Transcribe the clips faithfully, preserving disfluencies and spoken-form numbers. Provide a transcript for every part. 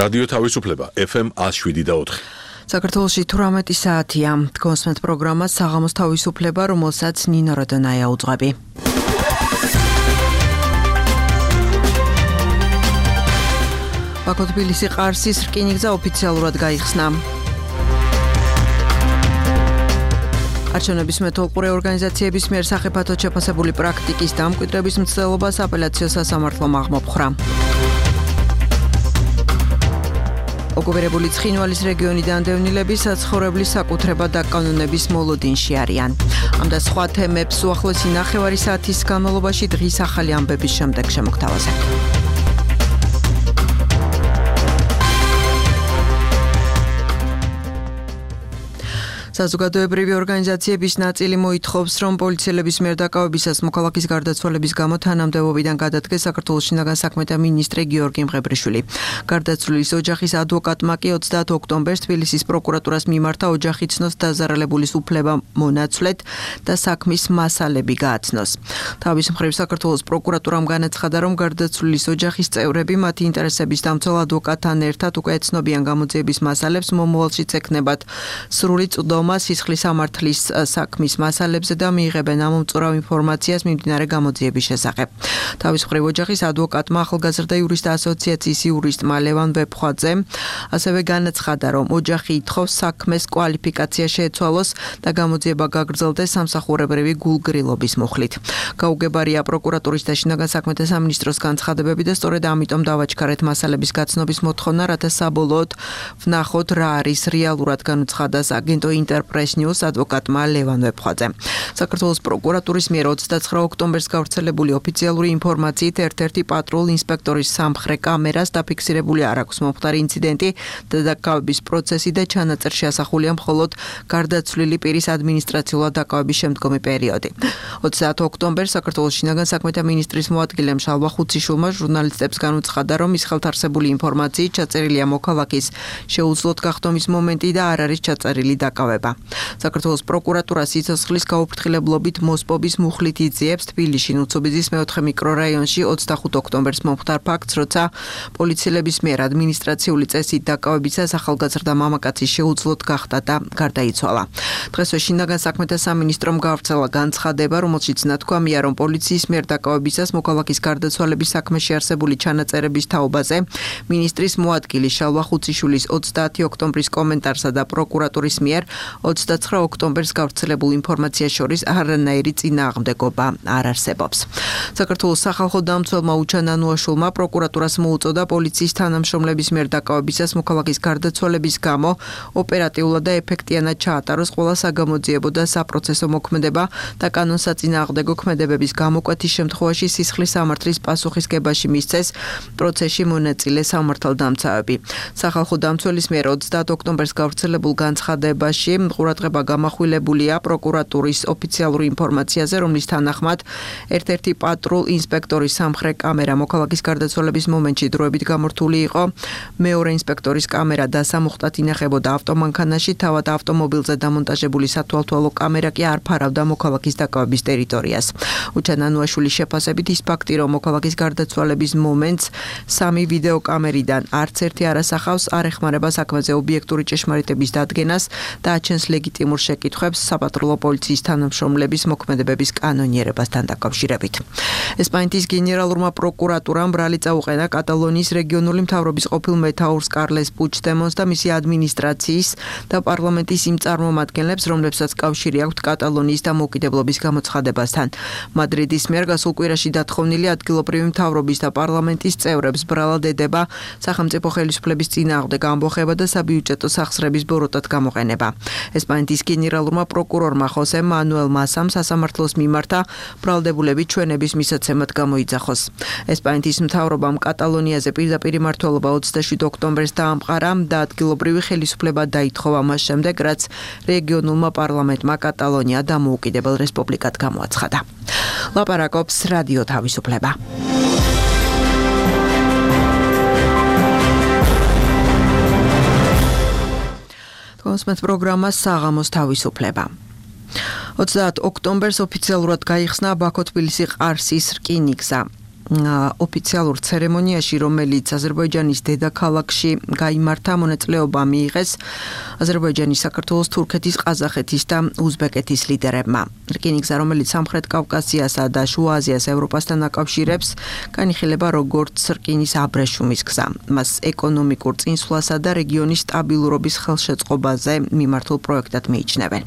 რადიო თავისუფლება ეფ ემ one oh seven და four. საქართველოში თვრამეტი საათია. გონსმენთ პროგრამა საღამოს თავისუფლება, რომელსაც ნინო როდონაია უძღვები. ბაქო-თბილისი ყარსის რკინიგზა ოფიციალურად გაიხსნა. არჩევნების მეთვალყურე ორგანიზაციების მიერ სახიფათოდ შეფასებული პრაქტიკის დამკვიდრების მცდელობას აპელაციო სასამართლომ აღმოფხრა. ოკუპირებული ცხინვალის რეგიონიდან დევნილები საცხოვრებლის საკუთრება და კანონების მოლოდინში არიან. ამ და სხვა თემებს უახლოესი ნახევარი საათის განმავლობაში დღის ახალი ამბების შემდეგ შემოგთავაზებთ. საზოგადოებრივი ორგანიზაციების ნაწილი მოითხოვს, რომ პოლიციელების მიერ დაკავებისას მოქალაქის გარდაცვალების გამო თანამდებობიდან გადადგეს საქართველოს შინაგან საქმეთა მინისტრი გიორგი მღებრიშვილი. გარდაცვლილის ოჯახის ადვოკატმა კი ოცდაათ ოქტომბერს თბილისის პროკურატურას მიმართა ოჯახი ცნოს დაზარალებულის უფლება მონაცვლეთ და საქმის მასალები გააცნოს. თავის მხრივ საქართველოს პროკურატურამ განაცხადა, რომ გარდაცვლილის ოჯახის წევრები მათი ინტერესების დამცველ ადვოკატთან ერთად უკვე ეცნობიან გამოძიების მასალებს, მომავალშიც ექნებათ სრული წვდომა სისხლის სამართლის საქმის მასალებზე და მიიღებენ ამომწურავ ინფორმაციას მიმდინარე გამოძიების შესახებ. თავის მხრივ ოჯახის ადვოკატმა ახალგაზრდა იურისტთა ასოციაციის იურისტმა ლევან ვეფხვაძემ ასევე განაცხადა, რომ ოჯახი ითხოვს საქმეს კვალიფიკაცია შეეცვალოს და გამოძიება გაგრძელდეს სამსახურებრივი გულგრილობის მუხლით. გაუგებარია პროკურატურის და შინაგან საქმეთა სამინისტროს განცხადებები და სწორედ ამიტომ დავაჩქარეთ მასალების გაცნობის მოთხოვნა, რათა საბოლოოდ ვნახოთ რა არის რეალურად, განუცხადა აგენტო Press News ადვოკატმა ლევან ვეფხვაძემ. საქართველოს პროკურატურის მიერ ოცდაცხრა ოქტომბერს გავრცელებული ოფიციალური ინფორმაციით ერთ-ერთი პატრულ ინსპექტორის სამხრე კამერას დაფიქსირებული არ აქვს მომხდარი ინციდენტი და დაკავების პროცესი და ჩანაწერში ასახულია მხოლოდ გარდაცვლილი პირის ადმინისტრაციულად დაკავების შემდგომი პერიოდი. ოცდაათ ოქტომბერს საქართველოს შინაგან საქმეთა მინისტრის მოადგილემ შალვა ხუციშვილმა ჟურნალისტებს განუცხადა, რომ ის ხელთარსებული ინფორმაციით ჩაწერილია მოქალაქის შეუძლოდ გახდომის მომენტი და არ არის ჩაწერილი დაკავება. საქართველოს პროკურატურა სიცოცხლის გაუფრთხილებლობით მოსპობის მუხლით იძიებს თბილისში ნუცუბიძის მეოთხე მიკრორაიონში ოცდახუთ ოქტომბერს მომხდარ ფაქტს, როცა პოლიციელების მიერ ადმინისტრაციული წესით დაკავებისას ახალგაზრდა მამაკაცი შეუძლოდ გახდა და გარდაიცვალა. დღესვე შინაგან საქმეთა სამინისტრომ გავრცელა განცხადება, რომელშიც ნათქვამია, რომ პოლიციის მიერ დაკავებისას მოქალაქის გარდაცვალების საქმეში არსებული ჩანაწერების თაობაზე მინისტრის მოადგილი შალვა ხუციშვილის ოცდაათი ოქტომბრის კომენტარსა და პროკურატურის მიერ ოცდაცხრა ოქტომბერს გავრცელებულ ინფორმაციას შორის არანაირი წინააღმდეგობა არ არსებობს. საქართველოს სახალხო დამცველმა უჩან ანუაშვილმა პროკურატურას მოუწოდა პოლიციის თანამშრომლების მიერ დაკავებისას მოქალაქის გარდაცვალების გამო ოპერატიულად და ეფექტიანად ჩაატაროს ყველა საგამოძიებო და საპროცესო მოქმედება და კანონსაწინააღმდეგო ქმედებების გამოკვეთის შემთხვევაში სისხლის სამართლის პასუხისგებაში მისცეს პროცესში მონაწილე სამართალდამცავები. სახალხო დამცველის მიერ ოცდაათ ოქტომბერს გავრცელებულ განცხადებაში ყურადღება გამახვილებულია პროკურატურის ოფიციალური ინფორმაციაზე, რომლის თანახმად ერთ-ერთი პატრულ ინსპექტორის სამხრე კამერა მოქალაქის გარდაცვალების მომენტში დროებით გამორთული იყო. მეორე ინსპექტორის კამერა დასამუხტად ინახებოდა ავტომანქანაში, თავად ავტომობილზე დამონტაჟებული სათვალთვალო კამერა კი არ ფარავდა მოქალაქის დაკავების ტერიტორიას. უჩან ანუაშვილის შეფასებით ის ფაქტი, რომ მოქალაქის გარდაცვალების მომენტს სამი ვიდეოკამერიდან არც ერთი არ ასახავს, არ ეხმარება საქმეზე ობიექტური ჭეშმარიტების დადგენას და აჩენს ლეგიტიმურ შეკითხვებს საპატრულო პოლიციის თანამშრომლების მოქმედებების კანონიერებასთან დაკავშირებით. ესპანეთის გენერალურმა პროკურატურამ ბრალი წაუყენა კატალონიის რეგიონული მთავრობის ყოფილ მეთაურს კარლეს პუჩდემონს და მისი ადმინისტრაციის და პარლამენტის იმ წარმომადგენლებს, რომლებსაც კავშირი აქვთ კატალონიის დამოუკიდებლობის გამოცხადებასთან. მადრიდის მიერ გასულ კვირაში დათხოვნილი ადგილობრივი მთავრობის და პარლამენტის წევრებს ბრალად ედება სახელმწიფო ხელისუფლების წინააღმდეგ ამბოხება და საბიუჯეტო სახსრების ბოროტად გამოყენება. ესპანეთის გენერალურმა პროკურორმა ხოსე მანუელ მასამ სასამართლოს მიმართა ბრალდებულების ჩვენების მისაცემად გამოიძახოს. ესპანეთის მთავრობამ კატალონიაზე პირდაპირ მმართველობა ოცდაშვიდ ოქტომბერს დაამყარა და ადგილობრივი ხელისუფლება დაითხოვა მას შემდეგ, რაც რეგიონულმა პარლამენტმა კატალონია დამოუკიდებელ რესპუბლიკად გამოაცხადა. ლაპარაკობს რადიო თავისუფლება. გონსმენთ პროგრამა საღამოს თავისუფლება. ოცდაათ ოქტომბერს ოფიციალურად გაიხსნა ბაქო-თბილისი ყარსის რკინიგზა. ოფიციალურ ცერემონიაში, რომელიც აზერბაიჯანის დედაქალაქში გაიმართა, მონაწილეობა მიიღეს აზერბაიჯანის, საქართველოს, თურქეთის, ყაზახეთის და უზბეკეთის ლიდერებმა. რკინიგზა, რომელიც სამხრეთ კავკასიასა და შუა აზიას ევროპასთან აკავშირებს, განიხილება როგორც რკინის აბრეშუმის გზა. მას ეკონომიკურ წინსვლასა და რეგიონის სტაბილურობის ხელშეწყობაზე მიმართულ პროექტად მიიჩნევენ.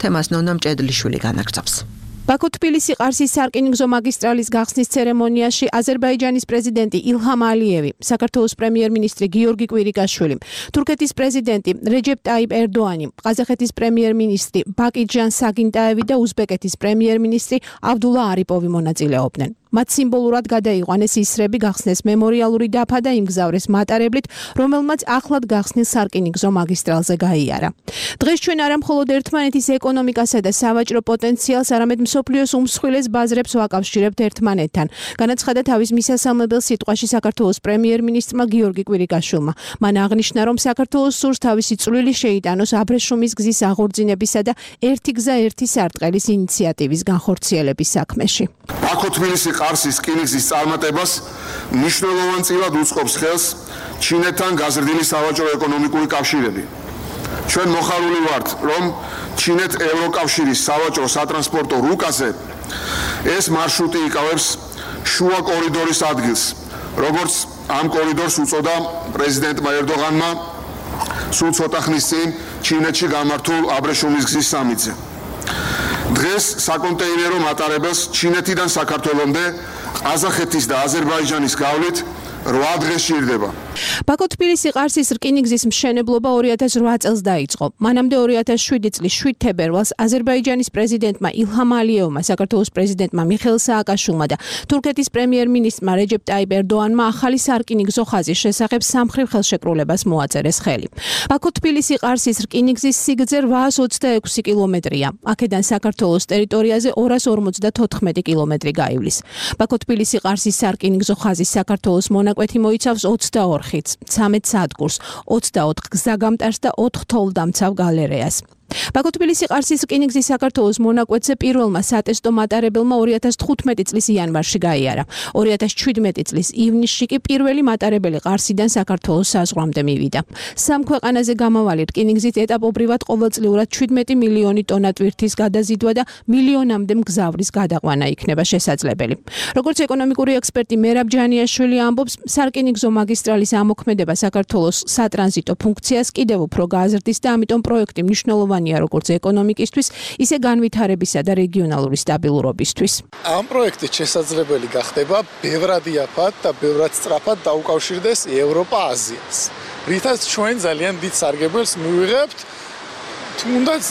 თემას ნონა მჭედლიშვილი განაგრძობს. ბაქო-თბილისი-ყარსის სარკინიგზო მაგისტრალის გახსნის ცერემონიაში აზერბაიჯანის პრეზიდენტი ილჰამ ალიევი, საქართველოს პრემიერ-მინისტრი გიორგი კვირიკაშვილი, თურქეთის პრეზიდენტი რეჯეპ ტაიპ ერდოანი, ყაზახეთის პრემიერ-მინისტრი ბაკიჯან საგინტაევი და უზბეკეთის პრემიერ-მინისტრი აბდულა არიპოვი მონაწილეობდნენ. მათ სიმბოლურად გადაიყვანეს ისრები, გახსნეს მემორიალური დაფა და იმგზავრეს მატარებლით, რომელმაც ახლად გახსნილ სარკინიგზო მაგისტრალზე გაიარა. დღეს ჩვენ არა მხოლოდ ერთმანეთის ეკონომიკასა და სავაჭრო პოტენციალს, არამედ მსოფლიოს უმსხვილეს ბაზრებს ვაკავშირებთ ერთმანეთთან. განაცხადა თავის მისასალმებელ სიტყვაში საქართველოს პრემიერ-მინისტრმა გიორგი კვირიკაშვილმა. მან აღნიშნა, რომ საქართველოს სურს თავისი წვლილი შეიტანოს აბრეშუმის გზის აღორძინებისა და ერთი გზა ერთი სარტყელის ინიციატივის განხორციელების საქმეში. ბაქო-თბილისი-ყარსის რკინიგზის წარმატებას მნიშვნელოვანწილად უწყობს ხელს ჩინეთთან გაზრდილი სავაჭრო-ეკონომიკური კავშირები. ჩვენ მოხარული ვართ, რომ ჩინეთ-ევროკავშირის სავაჭრო სატრანსპორტო რუკაზე ეს მარშრუტი იკავებს შუა კორიდორის ადგილს, როგორც ამ კორიდორს უწოდა პრეზიდენტმა ერდოღანმა სულ ცოტა ხნის წინ ჩინეთში გამართულ აბრეშუმის გზის სამიტზე. დღეს საკონტეინერო მატარებელს ჩინეთიდან საქართველომდე, ყაზახეთის და აზერბაიჯანის გავლით რვა დღე სჭირდება. ბაქო-თბილისი-ყარსის რკინიგზის მშენებლობა ორი ათას რვა წელს დაიწყო. მანამდე ორი ათას შვიდი წლის შვიდ თებერვალს აზერბაიჯანის პრეზიდენტმა ილჰამ ალიევმა, საქართველოს პრეზიდენტმა მიხეილ სააკაშვილმა და თურქეთის პრემიერ-მინისტრმა რეჯეპ ტაიპ ერდოანმა ახალი სარკინიგზო ხაზის შესახებ სამხრივ ხელშეკრულებას მოაწერეს ხელი. ბაქო-თბილისი-ყარსის რკინიგზის სიგრძე რვაას ოცდაექვსი კილომეტრია. აქედან საქართველოს ტერიტორიაზე ორას ორმოცდათოთხმეტი კილომეტრი გაივლის. ბაქო-თბილისი-ყარსის სარკინიგზო ხაზის საქართველოს მონაკვეთი მოიცავს ოცდაორ ხიდს, ცამეტ სადგურს, ოცდაოთხ გზაგამტარს და ოთხ თოვლდამცავ გალერეას. ბაქო-თბილისი-ყარსის რკინიგზის საქართველოს მონაკვეთზე პირველმა სატესტო მატარებელმა ორი ათას თხუთმეტი წლის იანვარში გაიარა. ორი ათას ჩვიდმეტი წლის ივნისში კი პირველი მატარებელი ყარსიდან საქართველოს საზღვრამდე მივიდა. სამ ქვეყანაზე გამავალი რკინიგზით ეტაპობრივად ყოველწლიურად ჩვიდმეტი მილიონი ტონა ტვირთის გადაზიდვა და მილიონამდე მგზავრის გადაყვანა იქნება შესაძლებელი. როგორც ეკონომიკური ექსპერტი მერაბ ჯანიაშვილი ამბობს, სარკინიგზო მაგისტრალის ამოქმედება საქართველოს სატრანზიტო ფუნქციას კიდევ უფრო გააზრდის და ამიტომ პროექტი მნიშვნელოვანია როგორც ეკონომიკისთვის, ისე განვითარებისა და რეგიონალური სტაბილურობისთვის. ამ პროექტით შესაძლებელი გახდება ბევრად იაფად და ბევრად სწრაფად დაუკავშირდეს ევროპა-აზიას. რითაც ჩვენ ძალიან დიდ სარგებელს მივიღებთ, თუნდაც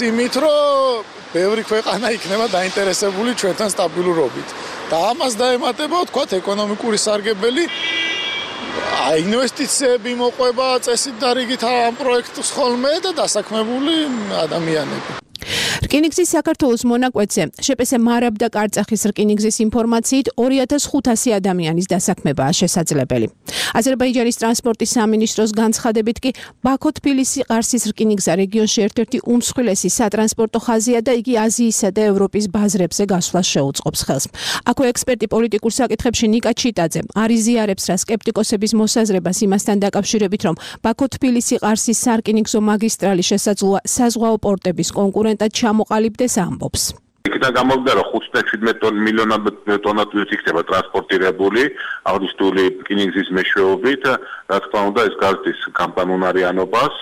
იმით, რომ ბევრი ქვეყანა იქნება დაინტერესებული ჩვენთან სტაბილურობით. და ამას დაემატება, ვთქვათ, ეკონომიკური სარგებელი, ინვესტიციები მოყვება წესით და რიგით ამ პროექტს ხოლმე და დასაქმებული ადამიანები. რკინიგზის საქართველოს მონაკვეთზე შპს მარაბ და კარწახის რკინიგზის ინფორმაციით ორი ათას ხუთასი ადამიანის დასაქმებაა შესაძლებელი. აზერბაიჯანის ტრანსპორტის სამინისტროს განცხადებით კი ბაქო-თბილისი-ყარსის რკინიგზა რეგიონში ერთ-ერთი უმსხვილესი სატრანსპორტო ხაზია და იგი აზიისა და ევროპის ბაზრებზე გასვლას შეუწყობს ხელს. აქვე ექსპერტი პოლიტიკურ საკითხებში ნიკა ჩიტაძე არ იზიარებს რა სკეპტიკოსების მოსაზრებას იმასთან დაკავშირებით, რომ ბაქო-თბილისი-ყარსის სარკინიგზო მაგისტრალი შესაძლოა საზღვაო პორტების კონკურენტად ჩამოყალიბდეს ამბობს. იქიდან გამოვიდა, რომ ოცდაშვიდ მილიონამდე ტონა ტვირთი იქნება ტრანსპორტირებული აღნიშნული რკინიგზის მეშვეობით. რა თქმა უნდა, ეს გაზრდის კამპანონარიანობას,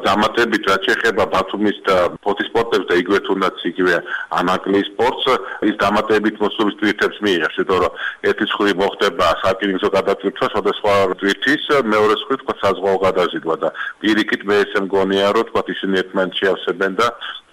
დამატებით რაც შეეხება ბათუმის და ფოთის პორტებს და იგივე თუნდაც იგივე ანაკლიის პორტს, ის დამატებით მოსულის ტვირთებს მიიღებს, იმიტომ რომ ერთი მხრივ მოხდება სარკინიგზო გადატვირთვა სხვადასხვა ტვირთის, მეორე მხრივ თქვა საზღვაო გადაზიდვა და პირიქით მე ესე მგონია, რომ თქვა ისინი ერთმანეთს შეავსებენ და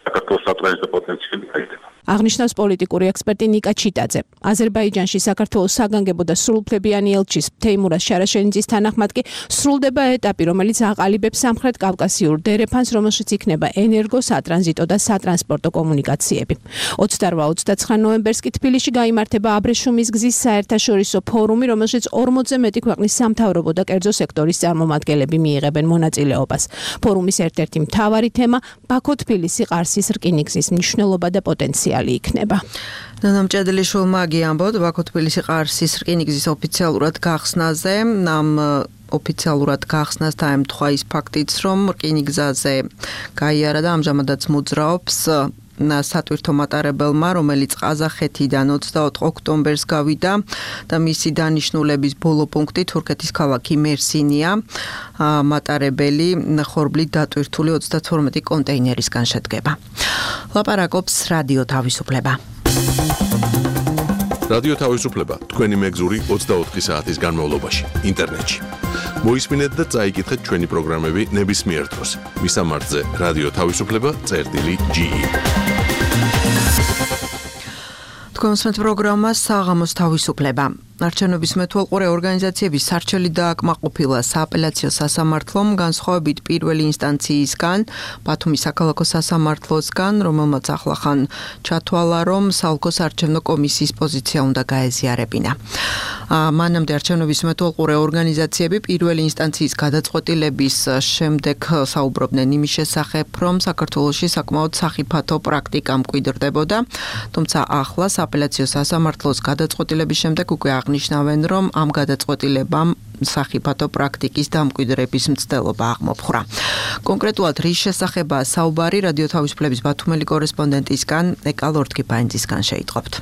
საქართველოს სატრანზიტო პოტენციალი გაიზრდება. აღნიშნავს პოლიტიკური ექსპერტი ნიკა ჩიტაძე. აზერბაიჯანში საქართველოს საგანგებო და სრულუფლებიანი ელჩის თეიმურაზ შარაშენიძის თანახმად კი სრულდება ეტაპი, რომელიც აყალიბებს სამხრეთ კავკასიურ დერეფანს, რომელშიც იქნება ენერგო, სატრანზიტო და სატრანსპორტო კომუნიკაციები. ოცდარვა ოცდაცხრა ნოემბერს კი თბილისში გაიმართება აბრეშუმის გზის საერთაშორისო ფორუმი, რომელშიც ორმოცზე მეტი ქვეყნის სამთავრობო და კერძო სექტორის წარმომადგენლები მიიღებენ მონაწილეობას. ფორუმის ერთ-ერთი მთავარი თემა ბაქო-თბილისი-ყარსის რკინიგზის მნიშვნელობა და პოტენციალი იქნება. ნანამჭედლიშვილმა გიამბოთ ბაქო-თბილისი ყარსის რკინიგზის ოფიციალურად გახსნაზე, ამ ოფიციალურად გახსნას დაემთხვა ის ფაქტიც, რომ რკინიგზაზე გაიარა და ამჟამადაც მოძრაობს სატვირთო მატარებელმა, რომელიც ყაზახეთიდან ოცდაოთხ ოქტომბერს გავიდა და მისი დანიშნულების ბოლო პუნქტი თურქეთის ქალაქი მერსინია. მატარებელი ხორბლით დატვირთული ოცდათორმეტი კონტეინერისგან შედგება. ლაპარაკობს რადიო თავისუფლება. რადიო თავისუფლება თქვენი მეგზური ოცდაოთხი საათის განმავლობაში ინტერნეტში. მოისმინეთ და წაიკითხეთ ჩვენი პროგრამები ნებისმიერ დროს. მისამართზე რადიო თავისუფლება წერტილი ჯი. თქვენს პროგრამა საღამოს თავისუფლება. არჩევნების მეთვალყურე ორგანიზაციების სარჩელი დააკმაყოფილა სააპელაციო სასამართლომ განსხვავებით პირველი ინსტანციისგან, ბათუმის საქალაქო სასამართლოსგან, რომელმაც ახლახან ჩათვალა, რომ საოლქო საარჩევნო კომისიის პოზიცია უნდა გაეზიარებინა. მანამდე არჩევნების მეთვალყურე ორგანიზაციები პირველი ინსტანციის გადაწყვეტილების შემდეგ საუბრობდნენ იმის შესახებ, რომ საქართველოში საკმაოდ სახიფათო პრაქტიკა მკვიდრდებოდა, თუმცა ახლა სააპელაციო სასამართლოს გადაწყვეტილების შემდეგ უკვე აღნიშნავენ, რომ ამ გადაწყვეტილებამ სახიფათო პრაქტიკის დამკვიდრების მცდელობა აღმოფხვრა. კონკრეტულად რის შესახებაა საუბარი რადიო თავისუფლების ბათუმელი კორესპონდენტისგან ეკა ლორთქიფანიძისგან შეიტყობთ.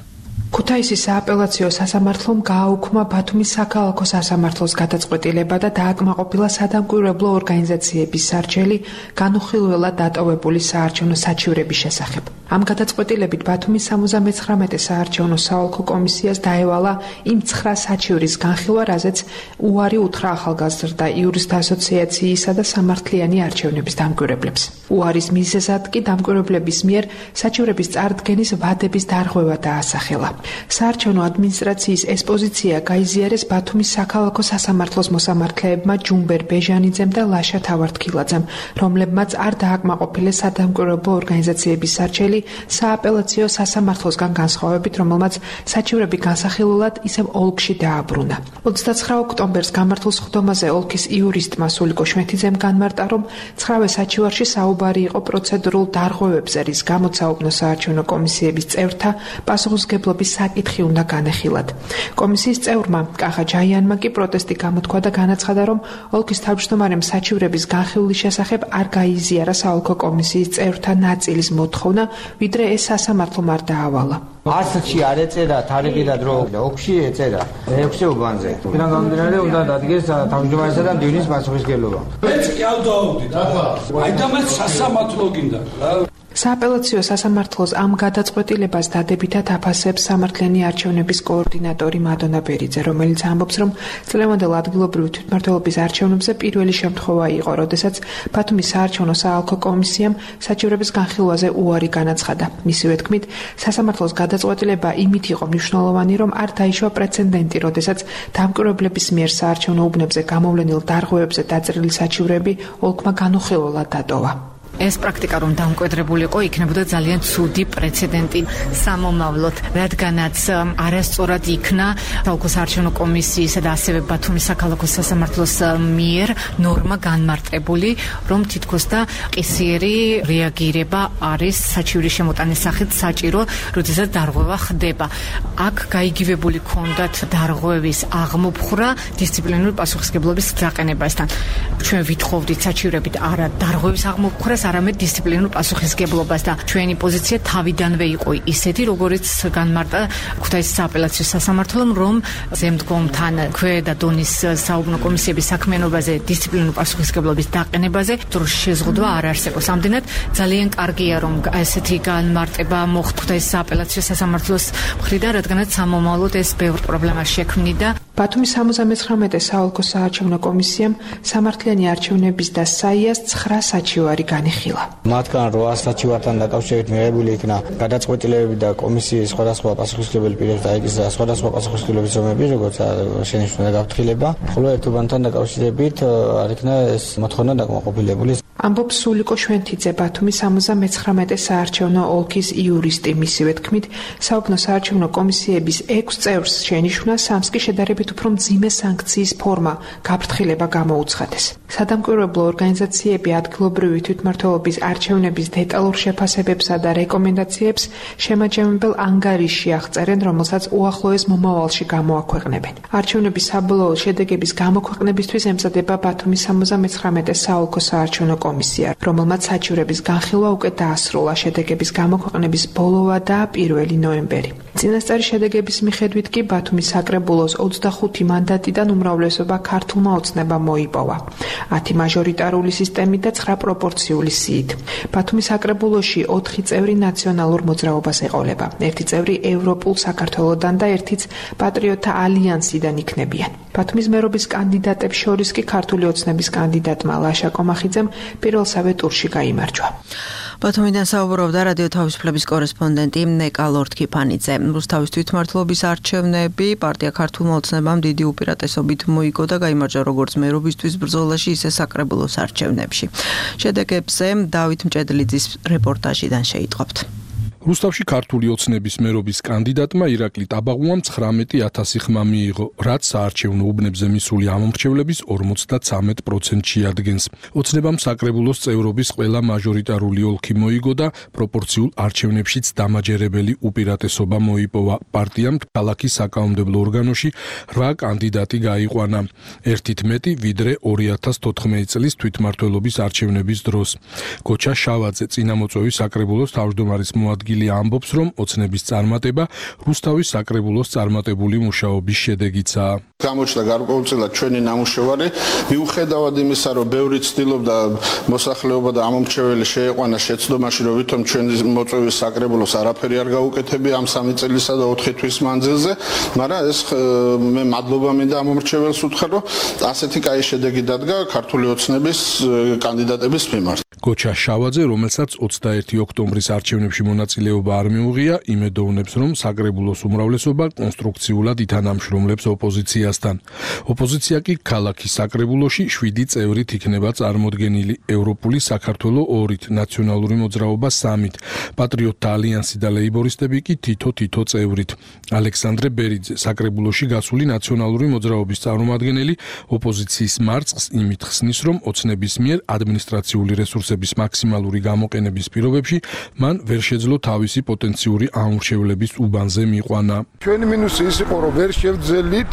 ქუთაისის სააპელაციო სასამართლომ გააუქმა ბათუმის საქალაქო სასამართლოს გადაწყვეტილება და დააკმაყოფილა სადამკვირვებლო ორგანიზაციების სარჩელი განუხილველად დატოვებული საარჩევნო საჩივრების შესახებ. ამ გადაწყვეტილებით ბათუმის სამოცდამეცხრამეტე საარჩევნო საოლქო კომისიას დაევალა იმ ცხრა საჩივრის განხილვა, რაზეც უარი უთხრა ახალგაზრდა იურისტთა ასოციაციისა და სამართლიანი არჩევნების დამკვირვებლებს. უარის მიზეზად კი დამკვირვებლების მიერ საჩივრების წარდგენის ვადების დარღვევა დაასახელა. საარჩევნო ადმინისტრაციის ეს პოზიცია გაიზიარეს ბათუმის საქალაქო სასამართლოს მოსამართლეებმა ჯუმბერ ბეჟანიძემ და ლაშა თავართქილაძემ, რომლებმაც არ დააკმაყოფილეს სადამკვირვებლო ორგანიზაციების სარჩელი სააპელაციო სასამართლოსგან განსხვავებით, რომელმაც საჩივრები განსახილულად ისევ ოლქში დააბრუნა. ოცდაცხრა ოქტომბერს გამართულ სხდომაზე ოლქის იურისტმა სულიკო შვეთიძემ განმარტა, რომ ცხრავე საჩივარში საუბარი იყო პროცედურულ დარღვევებზე, რის გამოც საუბნო საარჩევნო კომისიების წევრთა პასუხისმგებლობის საკითხი უნდა განეხილათ. კომისიის წევრმა კახა ჯაიანმა კი პროტესტი გამოთქვა და განაცხადა, რომ ოლქის თავმჯდომარემ საჩივრების განხილვის შესახებ არ გაიზიარა საოლქო კომისიის წევრთა ნაწილის მოთხოვნა, ვიდრე ეს სასამართლომ არ დაავალა. ასლში არ ეწერა თარიღი და დრო, ოლქში ეწერა მეექვსე უბანზე. იქიდან გამომდინარე უნდა დადგეს თავმჯდომარესა და მდივნის პასუხისმგებლობა. მეც კი ავდაობდით, ახლა. აი და მეც სასამართლო გინდა. სააპელაციო სასამართლოს ამ გადაწყვეტილებას დადებითად აფასებს სამართლიანი არჩევნების კოორდინატორი მადონა ბერიძე, რომელიც ამბობს, რომ წლევანდელ ადგილობრივი თვითმმართველობის არჩევნებზე პირველი შემთხვევა იყო, როდესაც ბათუმის საარჩევნო საოლქო კომისიამ საჩივრების განხილვაზე უარი განაცხადა. მისივე თქმით, სასამართლოს გადაწყვეტილება იმით იყო მნიშვნელოვანი, რომ არ დაიშვა პრეცედენტი, როდესაც დამკვირვებლების მიერ საარჩევნო უბნებზე გამოვლენილ დარღვევებზე დაწერილი საჩივრები ოლქმა განუხილველად დატოვა. ეს პრაქტიკა რომ დამკვიდრებულიყო, იქნებოდა ძალიან ცუდი პრეცედენტი სამომავლოდ, რადგანაც არასწორად იქნა საოლქო საარჩევნო კომისიისა და ასევე ბათუმის საქალაქო სასამართლოს მიერ ნორმა განმარტებული, რომ თითქოს და ყისიერი რეაგირება არის საჩივრის შემოტანის სახით საჭირო, როდესაც დარღვევა ხდება. აქ გაიგივებული ჰქონდათ დარღვევის აღმოფხვრა დისციპლინური პასუხისმგებლობის დაყენებასთან. ჩვენ ვითხოვდით საჩივრებით არა დარღვევის აღმოფხვრას, არამედ დისციპლინურ პასუხისმგებლობას და ჩვენი პოზიცია თავიდანვე იყო ისეთი, როგორც განმარტა ქუთაისის სააპელაციო სასამართლომ, რომ ზემდგომთან ქვედა დონის საუბნო კომისიების საქმიანობაზე დისციპლინურ პასუხისმგებლობის დაყენებაზე დროში შეზღუდვა არ არსებობს. ამდენად ძალიან კარგია, რომ ესეთი განმარტება მოხდა ქუთაისის სააპელაციო სასამართლოს მხრიდან, რადგანაც სამომავლოდ ეს ბევრ პრობლემას შექმნიდა. ბათუმის სამოცდამეცხრამეტე საოლქო საარჩევნო კომისიამ სამართლიანი არჩევნების და საიას ცხრა საჩივარი განიხილა. მათგან რვა საჩივართან დაკავშირებით მიღებული იქნა გადაწყვეტილებები და კომისიის სხვადასხვა პასუხისმგებელი პირებს დაიკისრა სხვადასხვა პასუხისმგებლობის ზომები, როგორც შენიშვნა და გაფრთხილება, ხოლო ერთობანთან დაკავშირებით არ იქნა ეს მოთხოვნა დაკმაყოფილებული. ამბობს სულიკო შვენთიძე, ბათუმის სამოცდამეცხრამეტე საარჩევნო ოლქის იურისტი. მისივე თქმით, საუბნო საარჩევნო კომისიების ექვს წევრს შენიშვნა სამს კი შედარებით უფრო მძიმე სანქციის ფორმა გაფრთხილება გამოუცხადეს. სადამკვირვებლო ორგანიზაციები ადგილობრივი თვითმმართველობის არჩევნების დეტალურ შეფასებებსა და რეკომენდაციებს შემაჯამებელ ანგარიშში აღწერენ, რომელსაც უახლოეს მომავალში გამოაქვეყნებენ. არჩევნების საბოლოო შედეგების გამოქვეყნებისთვის ემზადება ბათუმის სამოცდამეცხრამეტე საოლქო საარჩევნო კომისია, რომელმაც საჩივრების განხილვა უკვე დაასრულა. შედეგების გამოქვეყნების ბოლოა და პირველი ნოემბერი. წინასწარი შედეგების მიხედვით კი ბათუმის საკრებულოს ოცდახუთი მანდატიდან უმრავლესობა ქართულმა ოცნებამ მოიპოვა. ათი მაჟორიტარული სისტემით და ცხრა პროპორციული სიით. ბათუმის საკრებულოში ოთხი წევრი ნაციონალურ მოძრაობას ეყოლება. ერთი წევრი ევროპულ საქართველოსდან და ერთიც პატრიოტთა ალიანსიდან იქნებიან. ბათუმის მერობის კანდიდატებს შორის კი ქართული ოცნების კანდიდატმა ლაშა კომახიძემ პირველსავე ტურში გაიმარჯვა. ბათუმიდან საუბრობდა რადიო თავისუფლების კორესპონდენტი ნეკა ლორთქიფანიძე. რუსთავის თვითმმართველობის არჩევნები პარტია ქართულმა ოცნებამ დიდი უპირატესობით მოიგო და გაიმარჯვა როგორც მერობისთვის ბრძოლაში, ისე საკრებულოს არჩევნებში. შედეგებზე დავით მჭედლიძის რეპორტაჟიდან შეიტყობთ. რუსთავში ქართული ოცნების მერობის კანდიდატმა ირაკლი ტაბაღუამ ცხრამეტი ათასი ხმა მიიღო, რაც საარჩევნო უბნებზე მისული ამომრჩევლების ორმოცდათვრამეტ პროცენტში ადგენს. ოცნებამ საკრებულოს წევრობის ყველა მაჟორიტარული ოლქი მოიგო და პროპორციულ არჩევნებშიც დამაჯერებელი უპირატესობა მოიპოვა. პარტიამ ქალაქის საკანონმდებლო ორგანოში რვა კანდიდატი გაიყვანა, ერთით მეტი ვიდრე ორი ათას თოთხმეტი წლის თვითმმართველობის არჩევნების დროს. გოჩა შავაძე წინამოწვევის საკრებულოს თავმჯდომარის მოადგილე ამბობს, რომ ოცნების წარმატება რუსთავის საკრებულოს წარმატებული მუშაობის შედეგიცაა. გამოჩნდა გარკვეულწილად ჩვენი ნამუშევარი, მიუხედავად იმისა, რომ ბევრი ცდილობდა მოსახლეობა და ამომრჩეველი შეეყვანა შეცდომაში, რომ ვითომ ჩვენი მოწვევის საკრებულოს არაფერი არ გაუკეთებია ამ სამი წელისა და ოთხი თვის მანძილზე, მაგრამ ეს მე მადლობა მინდა ამომრჩეველს უთხრა, რომ ასეთი კაი შედეგი დადგა ქართული ოცნების კანდიდატების მიმართ. გოჩა შავაძე, რომელსაც ოცდაერთი ოქტომბრის არჩევნებში მონაწილეობა არ მიუღია, იმედოვნებს, რომ საკრებულოს უმრავლესობა კონსტრუქციულად ითანამშრომლებს ოპოზიციასთან. ოპოზიცია კი ქალაქის საკრებულოში შვიდი წევრით იქნება წარმოდგენილი, ევროპული საქართველო ორით, ნაციონალური მოძრაობა სამით, პატრიოტთა ალიანსი და ლეიბორისტები კი თითო-თითო წევრით. ალექსანდრე ბერიძე, საკრებულოში გასული ნაციონალური მოძრაობის წარმომადგენელი, ოპოზიციის მარცხს იმით ხსნის, რომ ოცნების მიერ ადმინისტრაციული რესურსები მაქსიმალური გამოყენების პირობებში მან ვერ შეძლო თავისი პოტენციური ამურჩევლების უბანზე მიყვანა. ჩვენი მინუსი ის იყო, რომ ვერ შევძელით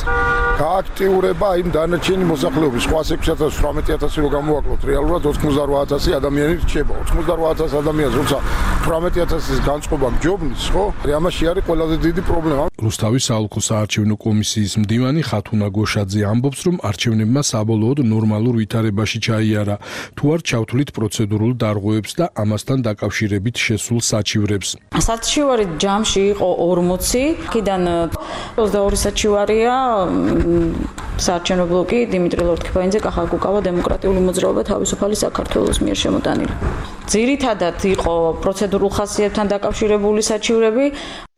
გააქტიურება იმ დანარჩენი მოსახლეობის სხვა ექვსი ათას თვრამეტი ათასი რო გამოვაკლოთ, რეალურად ოცდაოთხ ათასი ადამიანი რჩება. ოცდაოთხ ათას ადამიანს როცა თვრამეტი ათასის განწყობა გჯობნის, ხო? ამაში არის ყველაზე დიდი პრობლემა. რუსთავის საოლქო საარჩევნო კომისიის მდივანი ხათუნა გოშაძე ამბობს, რომ არჩევნებმა საბოლოოდ ნორმალურ ვითარებაში ჩაიარა, თუ არ ჩავთვლით პროცედურულ დარღვევებს და ამასთან დაკავშირებით შესულ საჩივრებს. საჩივარი ჯამში იყო ორმოცი, აქედან ოცდაორი საჩივარია საარჩევნო ბლოკი დიმიტრი ლორთქიფანიძე, კახა კუკავა, დემოკრატიული მოძრაობა, თავისუფალი საქართველოს მიერ შემოტანილი. ძირითადად იყო პროცედურულ ხასიათთან დაკავშირებული საჩივრები.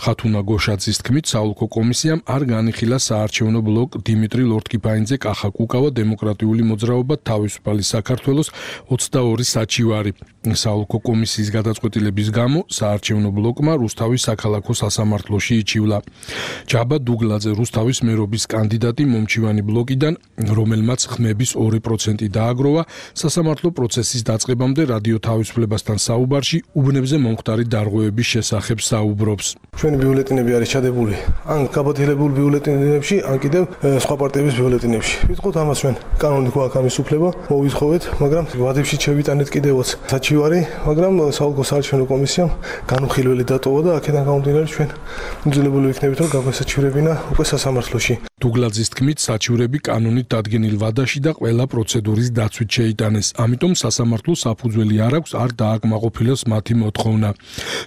ხათუნა გოშაძის თქმით, საოლქო კომისიამ არ განიხილა საარჩევნო ბლოკ დიმიტრი ლორთქიფანიძე, კახა კუკავა, დემოკრატიული მოძრაობა, თავისუფალი საქართველოს ოცდაორი საჩივარი. საოლქო კომისიის გადაწყვეტილების გამო საარჩევნო ბლოკმა რუსთავის საქალაქო სასამართლოში იჩივლა. ჯაბა დუგლაძე, რუსთავის მერობის კანდიდატი მომჩივანი ბლოკიდან, რომელმაც ხმების ორი პროცენტი დააგროვა, სასამართლო პროცესის დაწყებამდე რადიო თავისუფლებასთან საუბარში უბნებზე მომხდარი დარღვევების შესახებ საუბრობს. ჩვენი ბიულეტინები არის ჩადებული ან გაბათილებული ბიულეტინებში, ან კიდევ სხვა პარტიების ბიულეტინებში. ვიტყოთ ამას ჩვენ კანონით გვაქვს ამის უფლება, მოვითხოვეთ, მაგრამ ვადებში შევიტანეთ კიდევაც საჩივარი, მაგრამ საოლქო საარჩევნო კომისიამ განუხილველი დატოვა და აქედან გამომდინარე ჩვენ მძილებული ვიქნებით, რომ გაგვესაჩივრებინა უკვე სასამართლოში. დუგლაძის თქმით, საჩივრები კანონით დადგენილ ვადაში და ყველა პროცედურის დაცვით შეიტანეს. ამიტომ სასამართლოს საფუძველი არ აქვს არ დააკმაყოფილოს მათი მოთხოვნა.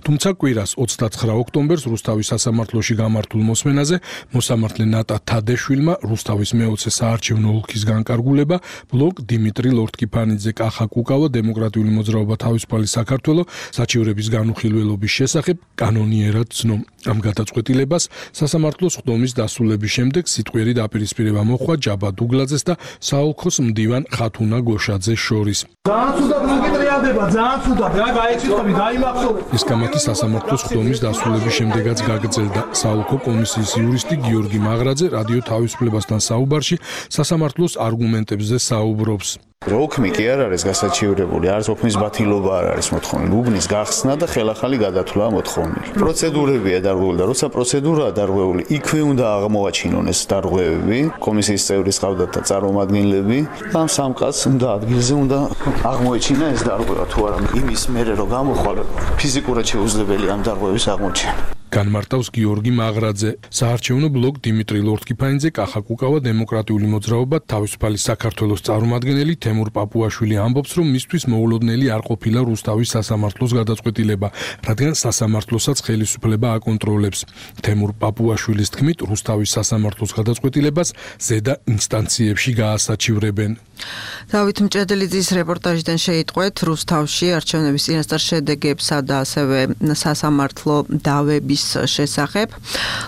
თუმცა კვირას ოცდათხრა ოქტომბერს რუსთავის სასამართლოში გამართულ მოსმენაზე მოსამართლე ნატა თადეშვილმა რუსთავის მეოცე საარჩევნო ოლქის განკარგულება ბლოკ დიმიტრი ლორთქიფანიძე, კახა კუკავა, დემოკრატიული მოძრაობა, თავისუფალი საქართველო საჩივრების განუხილველობის შესახებ კანონიერად ცნო. ამ გადაწყვეტილებას სასამართლოს ხდომის დასრულების შემდეგ სიტყვიერი დაპირისპირება მოხდა ჯაბა დუგლაძეს და საოლქოს მდივან ხათუნა გოშაძეს შორის. ძალიან ცუდად მოგიტრიალდება, ძალიან ცუდად. რა გაეჩიტები, დაიმახსოვრე. ეს გამართი სასამართლოს ხდომის დასრულების შემდეგაც გაგრძელდა. საოლქო კომისიის იურისტი გიორგი მაღრაძე რადიო თავისუფლებასთან საუბარში სასამართლოს არგუმენტებზე საუბრობს. როქმი კი არ არის გასაჩივრებული, არც ოქმის ბათილობა არ არის მოთხოვნილი, უბნის გახსნა და ხელახალი გადათვლა მოთხოვნილი. პროცედურებია დარღვეული და როცა პროცედურაა დარღვეული, იქვე უნდა აღმოვაჩინონ ეს დარღვევები, კომისიის წევრის ყავდათ და წარმომადგენლები, და ამ სამყაროს უნდა ადგილზე უნდა აღმოეჩინა ეს დარღვევა თუ არა, იმის მერე რომ გამოხვალ ფიზიკურად შეუძლებელია ამ დარღვევის აღმოჩენა. განმარტავს გიორგი მაღრაძე. საარჩევნო ბლოკ დიმიტრი ლორთქიფანიძე, კახა კუკავა, დემოკრატიული მოძრაობა, თავისუფალი საქართველოს წარმომადგენელი თემურ პაპუაშვილი ამბობს, რომ მისთვის მოულოდნელი არ ყოფილა რუსთავის სასამართლოს გადაწყვეტილება, რადგან სასამართლოსაც ხელისუფლება აკონტროლებს. თემურ პაპუაშვილის თქმით, რუსთავის სასამართლოს გადაწყვეტილებას ზედა ინსტანციებში გაასაჩივრებენ. დავით მჭედლიძის რეპორტაჟიდან შეიტყვეთ რუსთავში არჩევნების წინასწარ შედეგებსა და ასევე სასამართლო დავების შესახებ.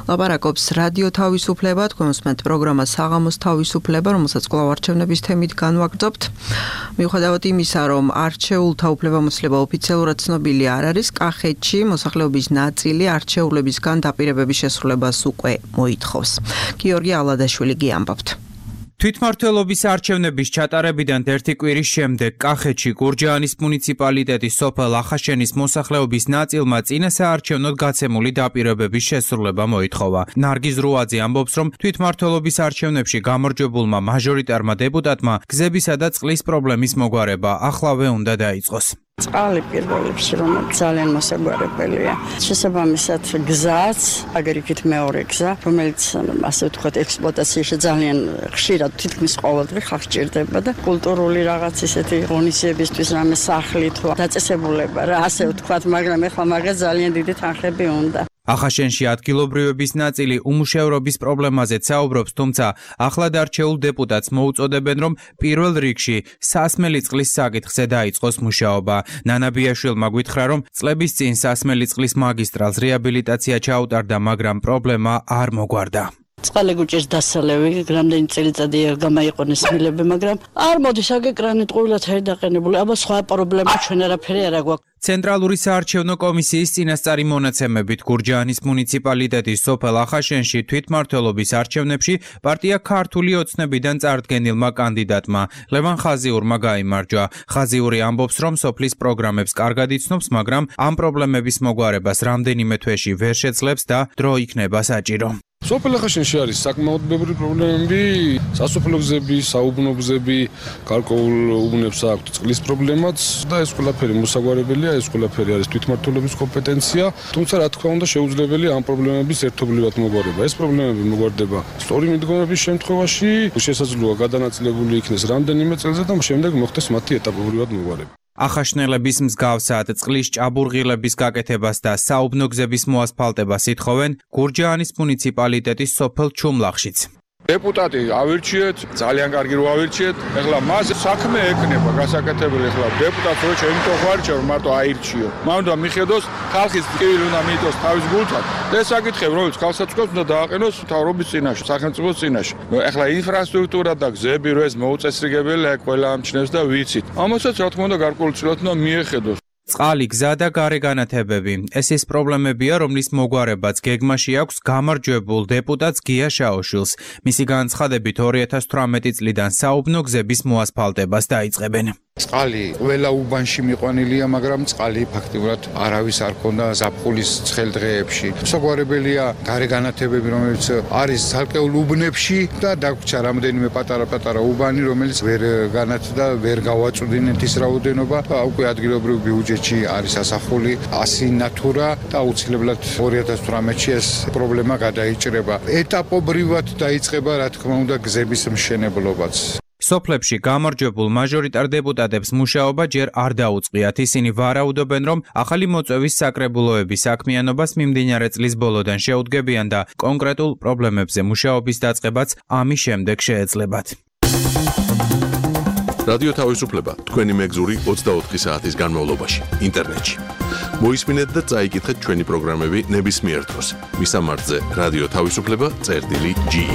ლაპარაკობს რადიო თავისუფლება, თქვენ უსმენთ პროგრამა საღამოს თავისუფლება, რომელსაც კვლავ არჩევნების თემით განვაგრძობთ. მიუხედავად იმისა, რომ არჩეულთა უფლებამოსილება ოფიციალურად ცნობილი არ არის, კახეთში მოსახლეობის ნაწილი არჩეულებისგან დაპირებების შესრულებას უკვე მოითხოვს. გიორგი ალადაშვილი გიამბობთ. თვითმმართველობის არჩევნების ჩატარებიდან ერთი კვირის შემდეგ კახეთში გურჯაანის მუნიციპალიტეტის სოფელ ახაშენის მოსახლეობის ნაწილმა წინა საარჩევნოდ გაცემული დაპირებების შესრულება მოითხოვა. ნარგიზ რუაძე ამბობს, რომ თვითმმართველობის არჩევნებში გამარჯვებულმა მაჟორიტარმა დეპუტატმა გზებისა და წყლის პრობლემის მოგვარება ახლავე უნდა დაიწყოს. წყალი პირველ რიგში რომ ძალიან მოსაგვარებელია. შესაბამისად გზაც, აგერ იქით მეორე გზა, რომელიც ასე ვთქვათ ექსპლუატაციაში ძალიან ხშირად თითქმის ყოველდღე ხალხს ჭირდება და კულტურული რაღაც ისეთი ღონისძიებისთვის რამე სახლი თუ დაწესებულება რა ასე ვთქვათ, მაგრამ ეხლა მაგას ძალიან დიდი თანხები უნდა. ახაშენში ადგილობრივების ნაწილი უმუშევრობის პრობლემაზეც საუბრობს, თუმცა ახლად არჩეულ დეპუტატს მოუწოდებენ, რომ პირველ რიგში სასმელი წყლის საკითხზე დაიწყოს მუშაობა. ნანა ბიაშვილმა გითხრა, რომ წლების წინ სასმელი წყლის მაგისტრალს რეაბილიტაცია ჩაუტარდა, მაგრამ პრობლემა არ მოგვარდა. წყალი გუჭირს დასალევი, რამდენი წელიწადი გამაიყენეს მილები, მაგრამ არ მოდის აგე კრანით ყვილად არ დაყენებული. აბა სხვა პრობლემა ჩვენ არაფერი არ აქვს. ცენტრალური საარჩევნო კომისიის წინასწარი მონაცემებით გურჯაანის მუნიციპალიტეტის სოფელ ახაშენში თვითმმართველობის არჩევნებში პარტია ქართული ოცნებიდან წარდგენილმა კანდიდატმა ლევან ხაზიურმა გაიმარჯვა. ხაზიური ამბობს, რომ სოფლის პროგრამებს კარგად იცნობს, მაგრამ ამ პრობლემების მოგვარებას რამდენიმე თვეში ვერ შეძლებს და დრო იქნება საჭირო. სოფელ ახაშენში არის საკმაოდ ბევრი პრობლემები, სასოფლო გზები, საუბნო გზები, გარკვეულ უბნებს აქვთ წყლის პრობლემაც და ეს ყველაფერი მოსაგვარებელია, ეს ყველაფერი არის თვითმმართველობის კომპეტენცია, თუმცა რა თქმა უნდა შეუძლებელია ამ პრობლემების ერთობლივად მოგვარება. ეს პრობლემები მოგვარდება სწორი მიდგომების შემთხვევაში, შესაძლოა გადანაწილებული იქნეს რამდენიმე წელზე და შემდეგ მოხდეს მათი ეტაპობრივად მოგვარება. ახაშნელების მსგავსად წყლის ჭაბურღილების გაკეთებას და საუბნო გზების მოასფალტებას ითხოვენ გურჯაანის მუნიციპალიტეტის სოფელ ჩუმლახშიც. დეპუტატი ავირჩიეთ, ძალიან კარგი რო ავირჩიეთ. ეხლა მას საქმე ეკნება გასაკეთებელი, ეხლა დეპუტატს რო ჩემითო ხარჭა რომ მარტო აირჩიო. მან უნდა მიხედოს ხალხის ტკივილი უნდა მიიტოს თავის გულთან. და ეს საკითხები, რომელიც ხალხსაცკობს უნდა დააყენოს მთავრობის წინაშე, სახელმწიფოს წინაშე. ეხლა ინფრასტრუქტურა და გზები რო ეს მოუწესრიგებელია, ყველა ამჩნევს და ვიცით. ამასაც რა თქმა უნდა გარკვეულწილად უნდა მიეხედოს. წყალი, გზა და გარე განათებები. ეს ის პრობლემებია, რომლის მოგვარებაც გეგმაში აქვს გამარჯვებულ დეპუტატს გია შაოშვილს. მისი განცხადებით ორი ათას თვრამეტი წლიდან საუბნო გზების მოასფალტებას დაიწყებენ. წყალი ყველა უბანში მიყვანილია, მაგრამ წყალი ფაქტიურად არავის არ ქონდა ზაფხულის ცხელ დღეებში. მსაგვარებელია გარე განათებები, რომელიც არის ცალკეულ უბნებში და დაგვრჩა რამდენიმე პატარა-პატარა უბანი, რომელიც ვერ განათდა, ვერ გავაწვდინეთ ის რაოდენობა. უკვე ადგილობრივ ბიუჯეტში არის ასახული ასი ნატურა და აუცილებლად ორი ათას თვრამეტში ეს პრობლემა გადაიჭრება. ეტაპობრივად დაიწყება, რა თქმა უნდა, გზების მშენებლობაც. სოფლებში გამარჯვებულ მაჟორიტარ დეპუტატებს მუშაობა ჯერ არ დაუწყიათ. ისინი ვარაუდობენ, რომ ახალი მოწვევის საკრებულოების საქმიანობას მიმდინარე წლის ბოლოდან შეუდგებიან და კონკრეტულ პრობლემებზე მუშაობის დაწყებაც ამის შემდეგ შეეძლებათ. რადიო თავისუფლება თქვენი მეგზური ოცდაოთხი საათის განმავლობაში ინტერნეტში. მოისმინეთ და წაიკითხეთ ჩვენი პროგრამები ნებისმიერ დროს. მისამართზე რადიო თავისუფლება წერტილი ჯი.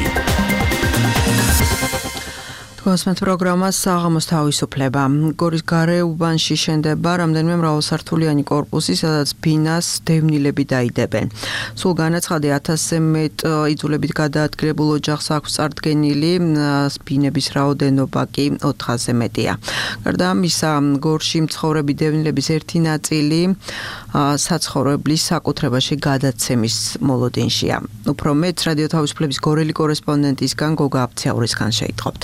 კონსმეთ პროგრამა საღამოს თავისუფლება. გორის გარეუბანში შენდება რამდენიმე მრავალსართულიანი კორპუსი, სადაც ბინას დევნილები დაიდებენ. სულ განაცხადი ათასზე მეტ იძულებით გადაადგილებულ ოჯახს აქვს წარდგენილი, ბინების რაოდენობა კი ოთხასზე მეტია. გარდა ამისა, გორში მცხოვრები დევნილების ერთი ნაწილი საცხოვრებლის საკუთრებაში გადაცემის მოლოდინშია. უფრო მეტ რადიო თავისუფლების გორელი კორესპონდენტისგან გოგა აფციაურისგან შეიტყობთ.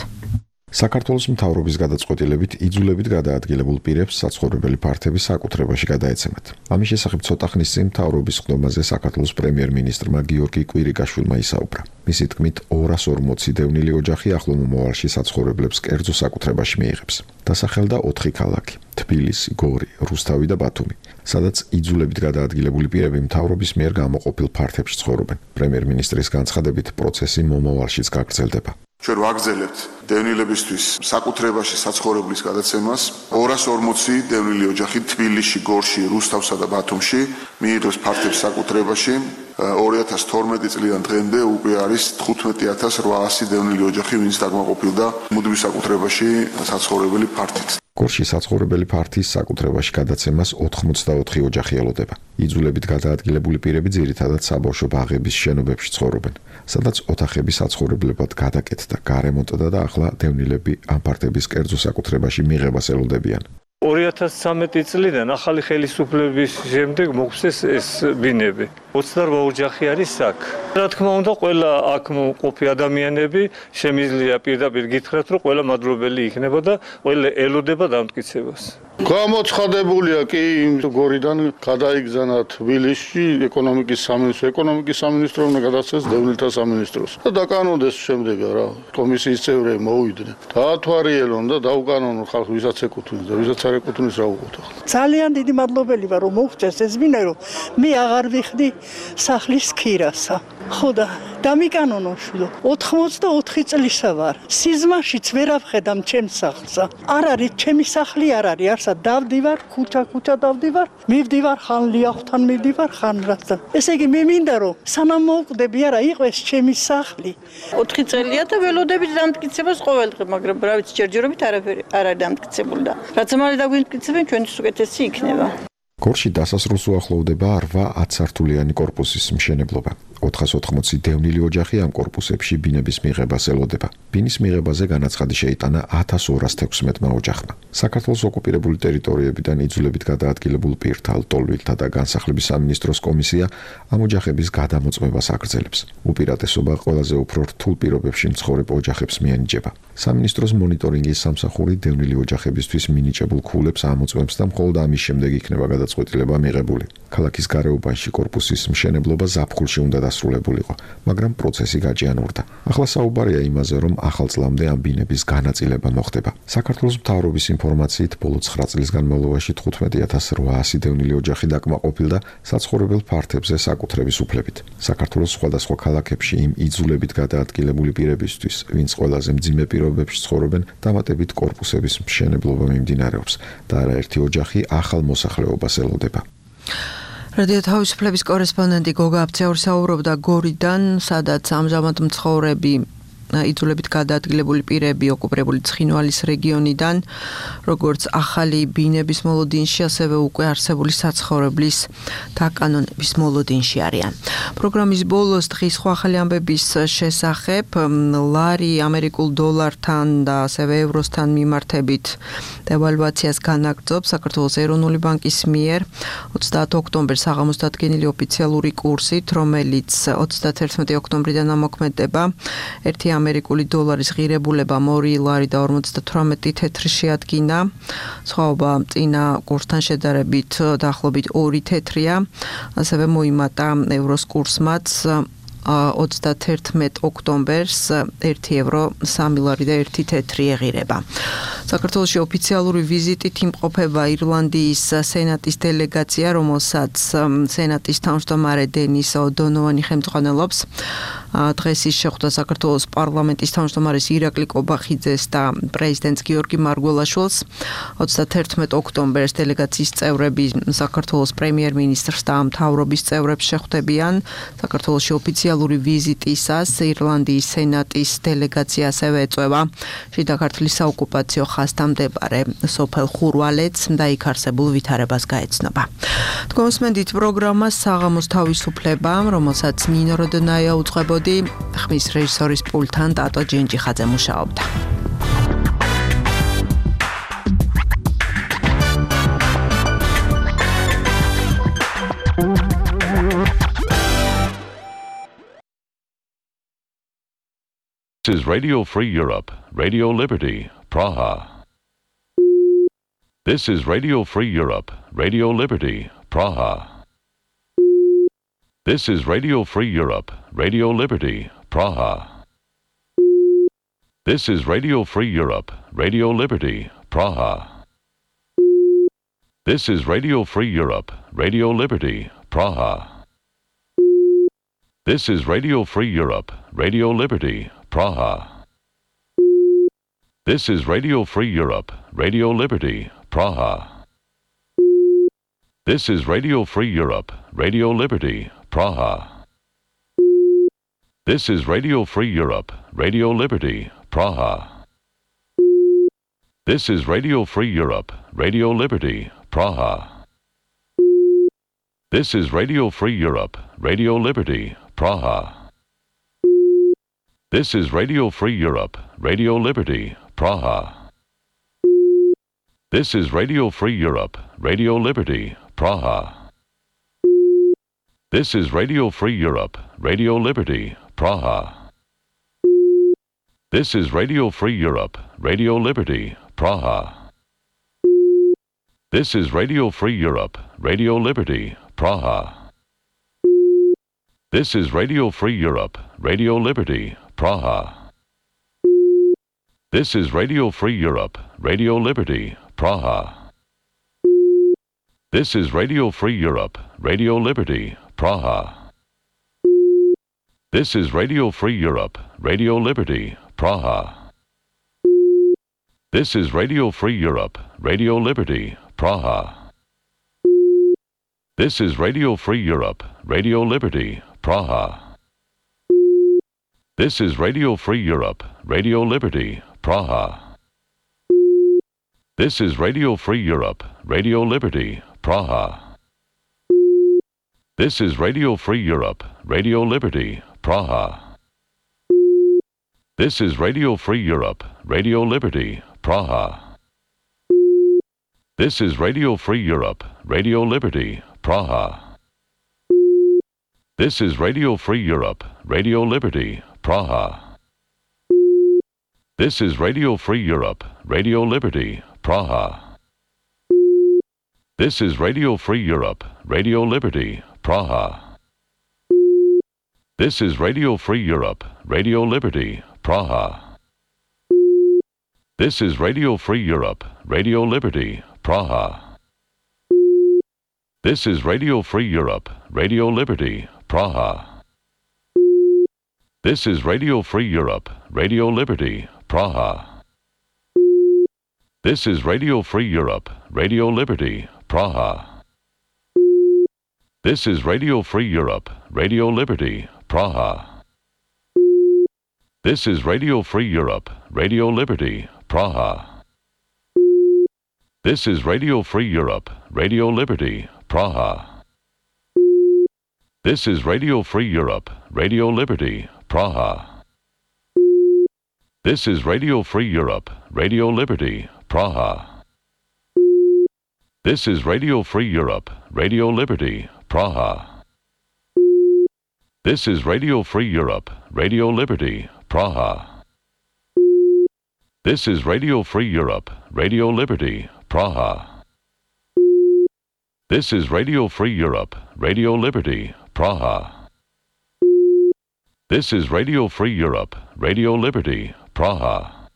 საქართველოს მთავრობის გადაწყვეტილებით იძულებით გადაადგილებულ პირებს საცხოვრებელი ფართები საკუთრებაში გადაეცემათ. ამის შესახებ ცოტა ხნის წინ მთავრობის ხდომაზე საქართველოს პრემიერ-მინისტრმა გიორგი კვირიკაშვილმა ისაუბრა. მისი თქმით, ორას ორმოცი დევნილი ოჯახი ახლო მომავალში საცხოვრებლებს კერძო საკუთრებაში მიიღებს. დასახელდა ოთხი ქალაქი: თბილისი, გორი, რუსთავი და ბათუმი, სადაც იძულებით გადაადგილებული პირები მთავრობის მიერ გამოყოფილ ფართებში ცხოვრობენ. პრემიერ-მინისტრის განცხადებით, პროცესი მომავალშიც გაგრძელდება. ჩვენ ვაგრძელებთ დევნილებისთვის საკუთრებაში საცხოვრებლის გადაცემას. ორას ორმოცი დევნილი ოჯახი თბილისში, გორში, რუსთავსა და ბათუმში მიიღებს ფართებს საკუთრებაში. ორი ათას თორმეტი წლიდან დღემდე უკვე არის თხუთმეტი ათას რვაასი დევნილი ოჯახი, ვინც დაგმაყოფილდა მუდმივ საკუთრებაში საცხოვრებელი ფართით. გორში საცხოვრებელი ფართის საკუთრებაში გადაცემას ოთხმოცდაოთხი ოჯახი ელოდება. იძულებით გადაადგილებული პირები ძირითადად საბავშვო ბაღების შენობებში ცხოვრობენ, სადაც ოთახები საცხოვრებლებად გადაკეთდა, გარემონტდა და ახლა დევნილები ამ ფართების კერძო საკუთრებაში მიღებას ელოდებიან. ორი ათას ცხრამეტი წლიდან ახალი ხელისუფლების შემდეგ მოგვცეს ეს ბინები. ოცდარვა ოჯახი არის აქ. რა თქმა უნდა, ყველა აქ მყოფი ადამიანები შემიძლია პირდაპირ გითხრათ, რომ ყველა მადლობელი იქნება და ყველა ელოდება დამტკიცებას. გამოცხადებულია კი გორიდან გადაიგზავნა თბილისში ეკონომიკის სამინისტრო, ეკონომიკის სამინისტრო უნდა გადასცეს დევნილთა სამინისტროს და დაკანონდეს შემდეგ რა კომისიის წევრები მოვიდნენ. დაათვალიერონ და დაუკანონონ ხალხს, ვისაც ეკუთვნის და ვისაც არ ეკუთვნის რა უყოთ. ძალიან დიდი მადლობელი ვარ, რომ მოვწეს ეს ბინა, რომ მე აღარ ვიხდი სახლის ქირასა. ხო და დამიკანონო შვილო, ოთხმოცდაოთხი წლისა ვარ. სიზმაშიც ვერ ავხედამ ჩემს სახლსა. არ არის ჩემი სახლი არ არის, არსა დავდივარ, ქუჩა-ქუჩა დავდივარ, მივდივარ ხან ლიახთან მივდივარ, ხან რასთან. ესე იგი მე მინდა რომ სანამ მოვკვდები არა იყოს ჩემი სახლი. ოთხი წელია და ველოდებით დამტკიცებას ყოველდღე, მაგრამ რა ვიცი, ჯერჯერობით არაფერი არ არის დამტკიცებული და რაც მალე დაგვიმტკიცებენ, ჩვენთვის უკეთესი იქნება. გორში დასასრულს უახლოვდება რვა ათსართულიანი კორპუსის მშენებლობა. ოთხას ოცდაოთხი დევნილი ოჯახი ამ კორპუსებში ბინების მიღებას ელოდება. ბინის მიღებაზე განაცხადი შეიტანა ათას ორას თექვსმეტმა ოჯახმა. საქართველოს ოკუპირებული ტერიტორიებიდან იძულებით გადაადგილებულ პირთა, ლტოლვილთა და განსახლების სამინისტროს კომისია ამ ოჯახების გადამოწმებას აგრძელებს. უპირატესობა ყველაზე უფრო რთულ პირობებში მცხოვრებ ოჯახებს მიანიჭება. სამინისტროს მონიტორინგის სამსახური დევნილი ოჯახებისთვის მინიჭებულ ქულებს ამოწმებს და მხოლოდ ამის შემდეგ იქნება გადაწყვეტილება მიღებული. ქალაქის გარეუბანში კორპუსის მშენებლობა ზაფხულში უნდა დასრულებულიყო, მაგრამ პროცესი გაჭიანურდა. ახლა საუბარია იმაზე, რომ ახალ წლამდე ამ ბინების განაწილება მოხდება. საქართველოს მთავრობის ინფორმაციით, ბოლო ცხრა წლის განმავლობაში თხუთმეტი ათას რვაასი დევნილი ოჯახი დაკმაყოფილდა საცხოვრებელ ფართებზე საკუთრების უფლებით. საქართველოს სხვადასხვა ქალაქებში იმ იძულებით გადაადგილებული პირებისთვის, ვინც ყველაზე მძიმე პირობებში ცხოვრობენ, დამატებით კორპუსების მშენებლობა მიმდინარეობს და არაერთი ოჯახი ახალ მოსახლეობას ელოდება. რადიო თავისუფლების კორესპონდენტი გოგა აფციაური საუბრობდა გორიდან, სადაც ამჟამად მცხოვრები იძულებით გადაადგილებული პირები ოკუპირებული ცხინვალის რეგიონიდან, როგორც ახალი ბინების მოლოდინში, ასევე უკვე არსებული საცხოვრებლის დაკანონების მოლოდინში არიან. პროგრამის ბოლოს დღის სხვა ახალი ამბების შესახებ ლარი ამერიკულ დოლართან და ასევე ევროსთან მიმართებით დევალვაციას განაგრძობს საქართველოს ეროვნული ბანკის მიერ ოცდაათი ოქტომბერს საღამოს დადგენილი ოფიციალური კურსით, რომელიც ოცდათერთმეტი ოქტომბრიდან ამოქმედება. ერთი ამერიკული დოლარის ღირებულებამ ორი ლარი და ორმოცდათვრამეტი თეთრი შეადგინა. სხვაობა წინა კურსთან შედარებით დაახლოებით ორი თეთრია. ასევე მოიმატა ევროს კურსმაც ოცდათერთმეტ ოქტომბერს ერთი ევრო სამი ლარი და ერთი თეთრი ეღირება. საქართველოში ოფიციალური ვიზიტით იმყოფება ირლანდიის სენატის დელეგაცია, რომელსაც სენატის თავმჯდომარე დენის ოდონოვანი ხელმძღვანელობს. დღეს ის შეხვდა საქართველოს პარლამენტის თავმჯდომარეს ირაკლი კობახიძეს და პრეზიდენტს გიორგი მარგველაშვილს. ოცდათერთმეტ ოქტომბერს დელეგაციის წევრები საქართველოს პრემიერ-მინისტრს და მთავრობის წევრებს შეხვდებიან. საქართველოში ოფიციალური ვიზიტისას ირლანდიის სენატის დელეგაცია ასევე ეწვევა შიდა ქართლის საოკუპაციო ხაზთან მდებარე სოფელ ხურვალეთს და იქ არსებულ ვითარებას გაეცნობა. თქვენსმენდით პროგრამა საღამოს თავისუფლება, რომელსაც ნინო როდონაია უძღვებოდა. ხმის რეჟისორის პულტთან ტატო ჯინჯიხაძე მუშაობდა. This is Radio Free Europe, Radio Liberty, Praha. This is Radio Free Europe, Radio Liberty, Praha. This is Radio Free Europe, Radio Liberty, Praha. This is Radio Free Europe, Radio Liberty, Praha. This is Radio Free Europe, Radio Liberty, Praha. This is Radio Free Europe, Radio Liberty, Praha. This is Radio Free Europe, Radio Liberty, Praha. This is Radio Free Europe, Radio Liberty, Praha. This is Radio Free Europe, Radio Liberty, Praha. This is Radio Free Europe, Radio Liberty, Praha. This is Radio Free Europe, Radio Liberty, Praha. This is Radio Free Europe, Radio Liberty, Praha. This is Radio Free Europe, Radio Liberty, Praha. This is Radio Free Europe, Radio Liberty, Praha. This is Radio Free Europe, Radio Liberty, Praha. This is Radio Free Europe, Radio Liberty, Praha. This is Radio Free Europe, Radio Liberty, Praha. This is Radio Free Europe, Radio Liberty, Praha. This is Radio Free Europe, Radio Liberty, Praha. This is Radio Free Europe, Radio Liberty, Praha. This is Radio Free Europe, Radio Liberty, Praha. This is Radio Free Europe, Radio Liberty, Praha. This is Radio Free Europe, Radio Liberty, Praha. This is Radio Free Europe, Radio Liberty, Praha. This is Radio Free Europe, Radio Liberty, Praha. This is Radio Free Europe, Radio Liberty, Praha. This is Radio Free Europe, Radio Liberty, Praha. This is Radio Free Europe, Radio Liberty, Praha. This is Radio Free Europe, Radio Liberty, Praha. This is Radio Free Europe, Radio Liberty, Praha. This is Radio Free Europe, Radio Liberty, Praha. This is Radio Free Europe, Radio Liberty, Praha. This is Radio Free Europe, Radio Liberty, Praha. This is Radio Free Europe, Radio Liberty, Praha. This is Radio Free Europe, Radio Liberty, Praha. This is Radio Free Europe, Radio Liberty, Praha. This is Radio Free Europe, Radio Liberty, Praha. This is Radio Free Europe, Radio Liberty, Praha. This is Radio Free Europe, Radio Liberty, Praha. This is Radio Free Europe, Radio Liberty, Praha. This is Radio Free Europe, Radio Liberty, Praha. This is Radio Free Europe, Radio Liberty, Praha. This is Radio Free Europe, Radio Liberty, Praha. This is Radio Free Europe, Radio Liberty, Praha. This is Radio Free Europe, Radio Liberty, Praha.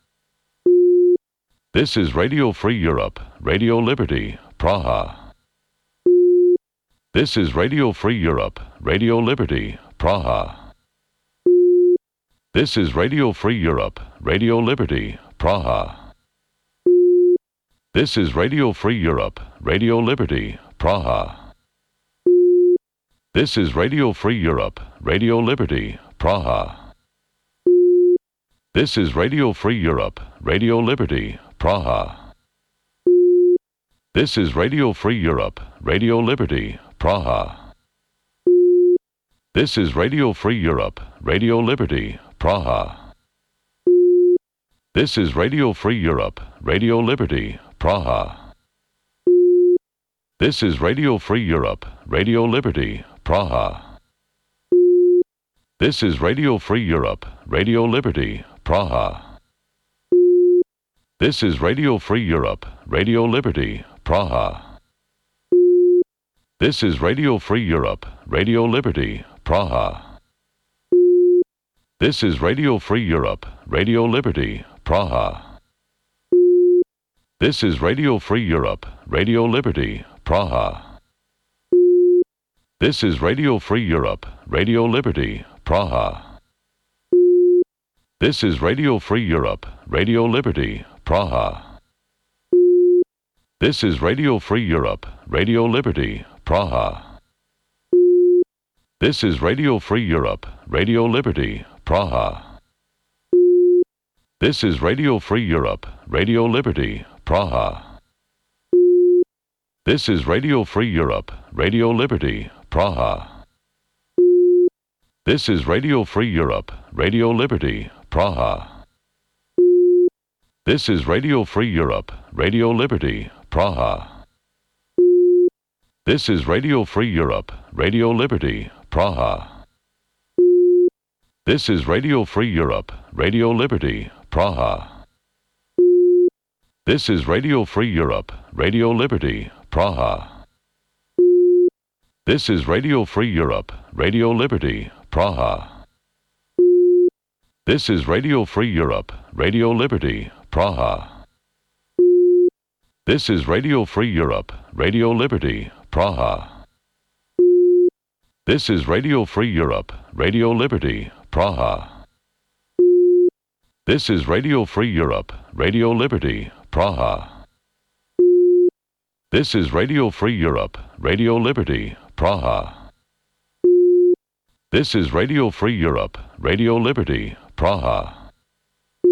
This is Radio Free Europe, Radio Liberty, Praha. This is Radio Free Europe, Radio Liberty, Praha. This is Radio Free Europe, Radio Liberty, Praha. This is Radio Free Europe, Radio Liberty, Praha. This is Radio Free Europe, Radio Liberty, Praha. This is Radio Free Europe, Radio Liberty, Praha. This is Radio Free Europe, Radio Liberty, Praha. This is Radio Free Europe, Radio Liberty, Praha. This is Radio Free Europe, Radio Liberty, Praha. This is Radio Free Europe, Radio Liberty, Praha. This is Radio Free Europe, Radio Liberty, Praha. This is Radio Free Europe, Radio Liberty, Praha. This is Radio Free Europe, Radio Liberty, Praha. This is Radio Free Europe, Radio Liberty, Praha. This is Radio Free Europe, Radio Liberty, Praha. This is Radio Free Europe, Radio Liberty, Praha. This is Radio Free Europe, Radio Liberty, Praha. This is Radio Free Europe, Radio Liberty, Praha. This is Radio Free Europe, Radio Liberty, Praha. This is Radio Free Europe, Radio Liberty, Praha. This is Radio Free Europe, Radio Liberty, Praha. This is Radio Free Europe, Radio Liberty, Praha. This is Radio Free Europe, Radio Liberty, Praha. This is Radio Free Europe, Radio Liberty, Praha. This is Radio Free Europe, Radio Liberty, Praha. This is Radio Free Europe, Radio Liberty, Praha. This is Radio Free Europe, Radio Liberty, Praha. This is Radio Free Europe, Radio Liberty, Praha. This is Radio Free Europe, Radio Liberty, Praha. This is Radio Free Europe, Radio Liberty, Praha. This is Radio Free Europe, Radio Liberty, Praha. This is Radio Free Europe, Radio Liberty, Praha. This is Radio Free Europe, Radio Liberty,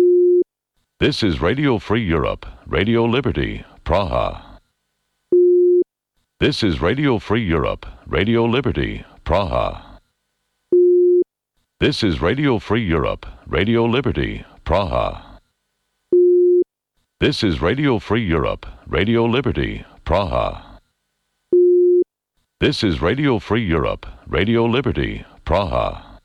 Praha. This is Radio Free Europe, Radio Liberty, Praha. This is Radio Free Europe, Radio Liberty, Praha. This is Radio Free Europe, Radio Liberty, Praha. This is Radio Free Europe, Radio Liberty, Praha. This is Radio Free Europe, Radio Liberty, Praha.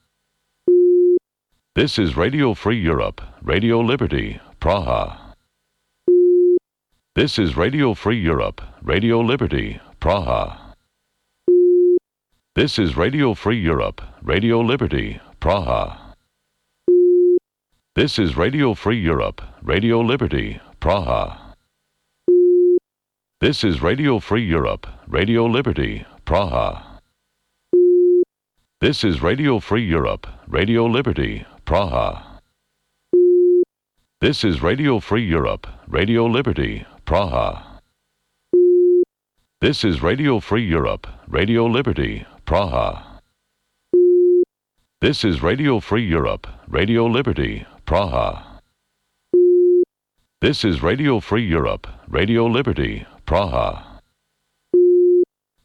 This is Radio Free Europe, Radio Liberty, Praha. This is Radio Free Europe, Radio Liberty, Praha. This is Radio Free Europe, Radio Liberty, Praha. This is Radio Free Europe, Radio Liberty, Praha. This is Radio Free Europe, Radio Liberty, Praha. This is Radio Free Europe, Radio Liberty, Praha. This is Radio Free Europe, Radio Liberty, Praha. This is Radio Free Europe, Radio Liberty, Praha. This is Radio Free Europe, Radio Liberty, Praha. This is Radio Free Europe, Radio Liberty, Praha.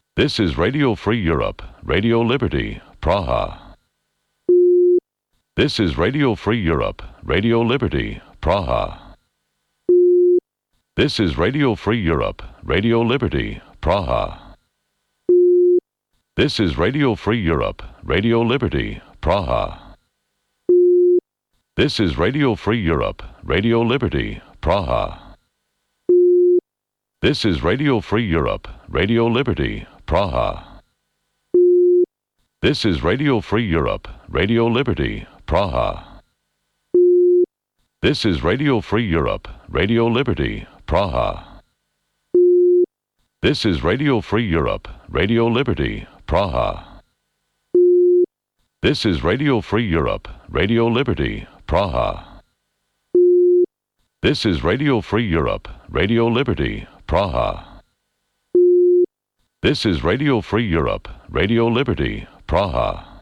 This is Radio Free Europe, Radio Liberty, Praha. This is Radio Free Europe, Radio Liberty, Praha. This is Radio Free Europe, Radio Liberty, Praha. This is Radio Free Europe, Radio Liberty, Praha. This is Radio Free Europe, Radio Liberty, Praha. This is Radio Free Europe, Radio Liberty, Praha. This is Radio Free Europe, Radio Liberty, Praha. This is Radio Free Europe, Radio Liberty, Praha. This is Radio Free Europe, Radio Liberty, Praha. This is Radio Free Europe, Radio Liberty, Praha. This is Radio Free Europe, Radio Liberty, Praha. This is Radio Free Europe, Radio Liberty, Praha.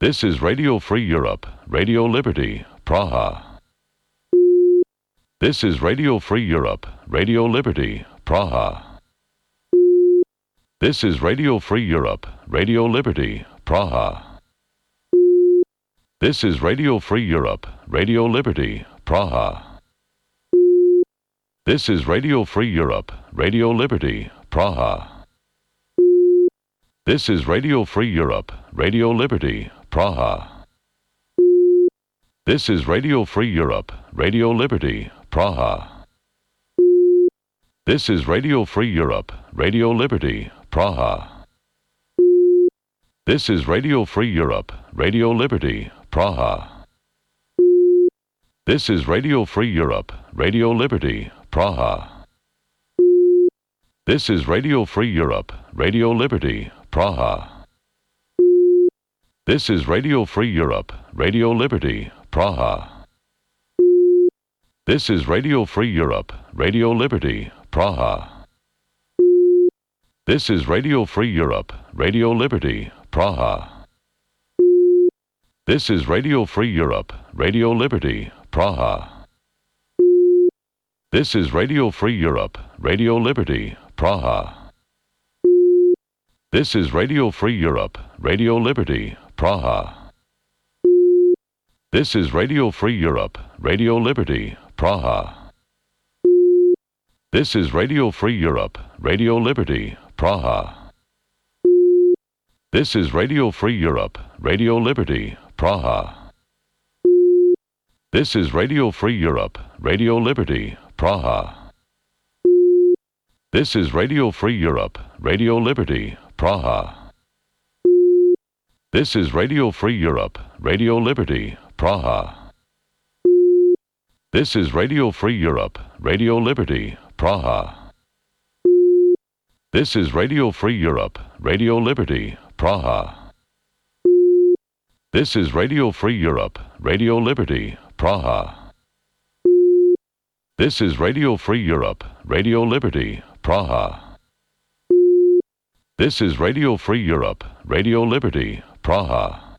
This is Radio Free Europe, Radio Liberty, Praha. This is Radio Free Europe, Radio Liberty, Praha. This is Radio Free Europe, Radio Liberty, Praha. This is Radio Free Europe, Radio Liberty, Praha. This is Radio Free Europe, Radio Liberty, Praha. This is Radio Free Europe, Radio Liberty, Praha. This is Radio Free Europe, Radio Liberty, Praha. This is Radio Free Europe, Radio Liberty, Praha. This is Radio Free Europe, Radio Liberty, Praha. This is Radio Free Europe, Radio Liberty, Praha. This is Radio Free Europe, Radio Liberty, Praha. This is Radio Free Europe, Radio Liberty, Praha. This is Radio Free Europe, Radio Liberty, Praha. This is Radio Free Europe, Radio Liberty, Praha. This is Radio Free Europe, Radio Liberty, Praha. This is Radio Free Europe, Radio Liberty, Praha. This is Radio Free Europe, Radio Liberty, Praha. This is Radio Free Europe, Radio Liberty, Praha. This is Radio Free Europe, Radio Liberty, Praha. This is Radio Free Europe, Radio Liberty, Praha. This is Radio Free Europe, Radio Liberty, Praha. This is Radio Free Europe, Radio Liberty, Praha. This is Radio Free Europe, Radio Liberty, Praha. This is Radio Free Europe, Radio Liberty, Praha. This is Radio Free Europe, Radio Liberty, Praha. This is Radio Free Europe, Radio Liberty, Praha. This is Radio Free Europe, Radio Liberty, Praha. This is Radio Free Europe, Radio Liberty, Praha.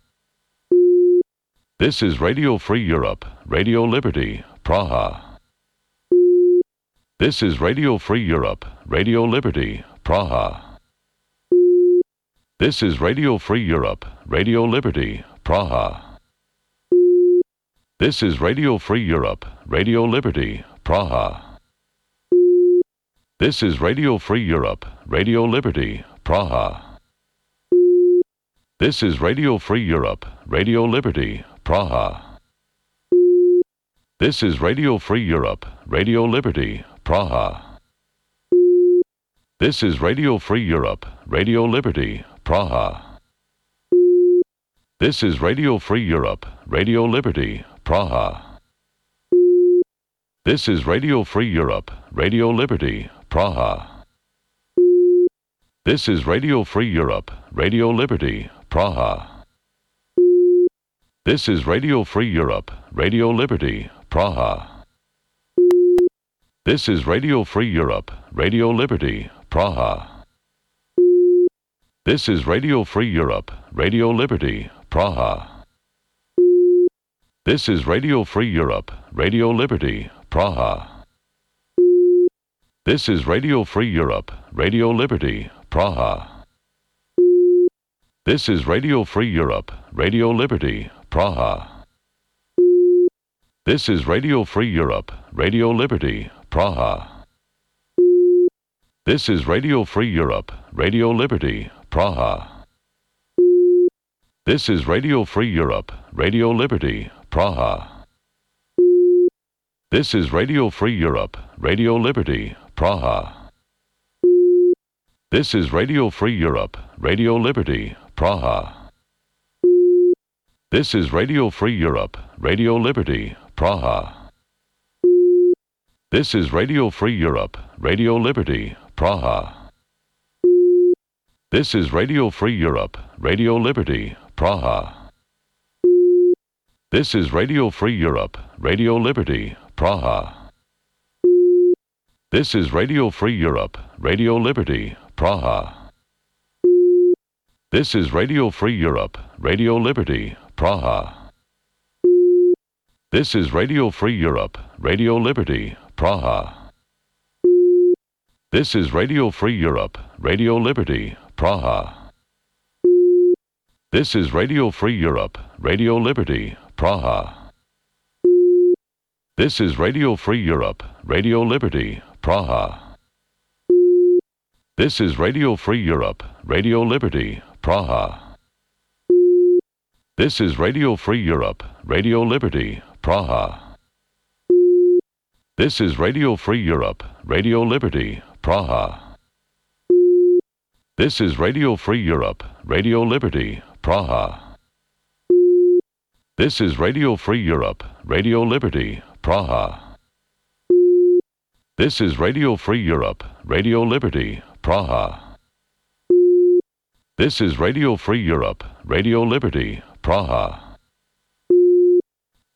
This is Radio Free Europe, Radio Liberty, Praha. This is Radio Free Europe, Radio Liberty, Praha. This is Radio Free Europe, Radio Liberty, Praha. This is Radio Free Europe, Radio Liberty, Praha. This is Radio Free Europe, Radio Liberty, Praha. This is Radio Free Europe, Radio Liberty, Praha. This is Radio Free Europe, Radio Liberty, Praha. This is Radio Free Europe, Radio Liberty, Praha. This is Radio Free Europe, Radio Liberty, Praha. This is Radio Free Europe, Radio Liberty, Praha. This is Radio Free Europe, Radio Liberty, Praha. This is Radio Free Europe, Radio Liberty, Praha. This is Radio Free Europe, Radio Liberty, Praha. This is Radio Free Europe, Radio Liberty, Praha. This is Radio Free Europe, Radio Liberty, Praha. This is Radio Free Europe, Radio Liberty, Praha. This is Radio Free Europe, Radio Liberty, Praha. This is Radio Free Europe, Radio Liberty, Praha. This is Radio Free Europe, Radio Liberty, Praha. This is Radio Free Europe, Radio Liberty, Praha. This is Radio Free Europe, Radio Liberty, Praha. This is Radio Free Europe, Radio Liberty, Praha. This is Radio Free Europe, Radio Liberty, Praha. This is Radio Free Europe, Radio Liberty, Praha. This is Radio Free Europe, Radio Liberty, Praha. This is Radio Free Europe, Radio Liberty, Praha. This is Radio Free Europe, Radio Liberty, Praha. This is Radio Free Europe, Radio Liberty, Praha. This is Radio Free Europe, Radio Liberty, Praha. This is Radio Free Europe, Radio Liberty, Praha. This is Radio Free Europe, Radio Liberty, Praha. This is Radio Free Europe, Radio Liberty, Praha. This is Radio Free Europe, Radio Liberty, Praha. This is Radio Free Europe, Radio Liberty, Praha. This is Radio Free Europe, Radio Liberty, Praha. This is Radio Free Europe, Radio Liberty, Praha. This is Radio Free Europe, Radio Liberty, Praha. This is Radio Free Europe, Radio Liberty, Praha. This is Radio Free Europe, Radio Liberty, Praha.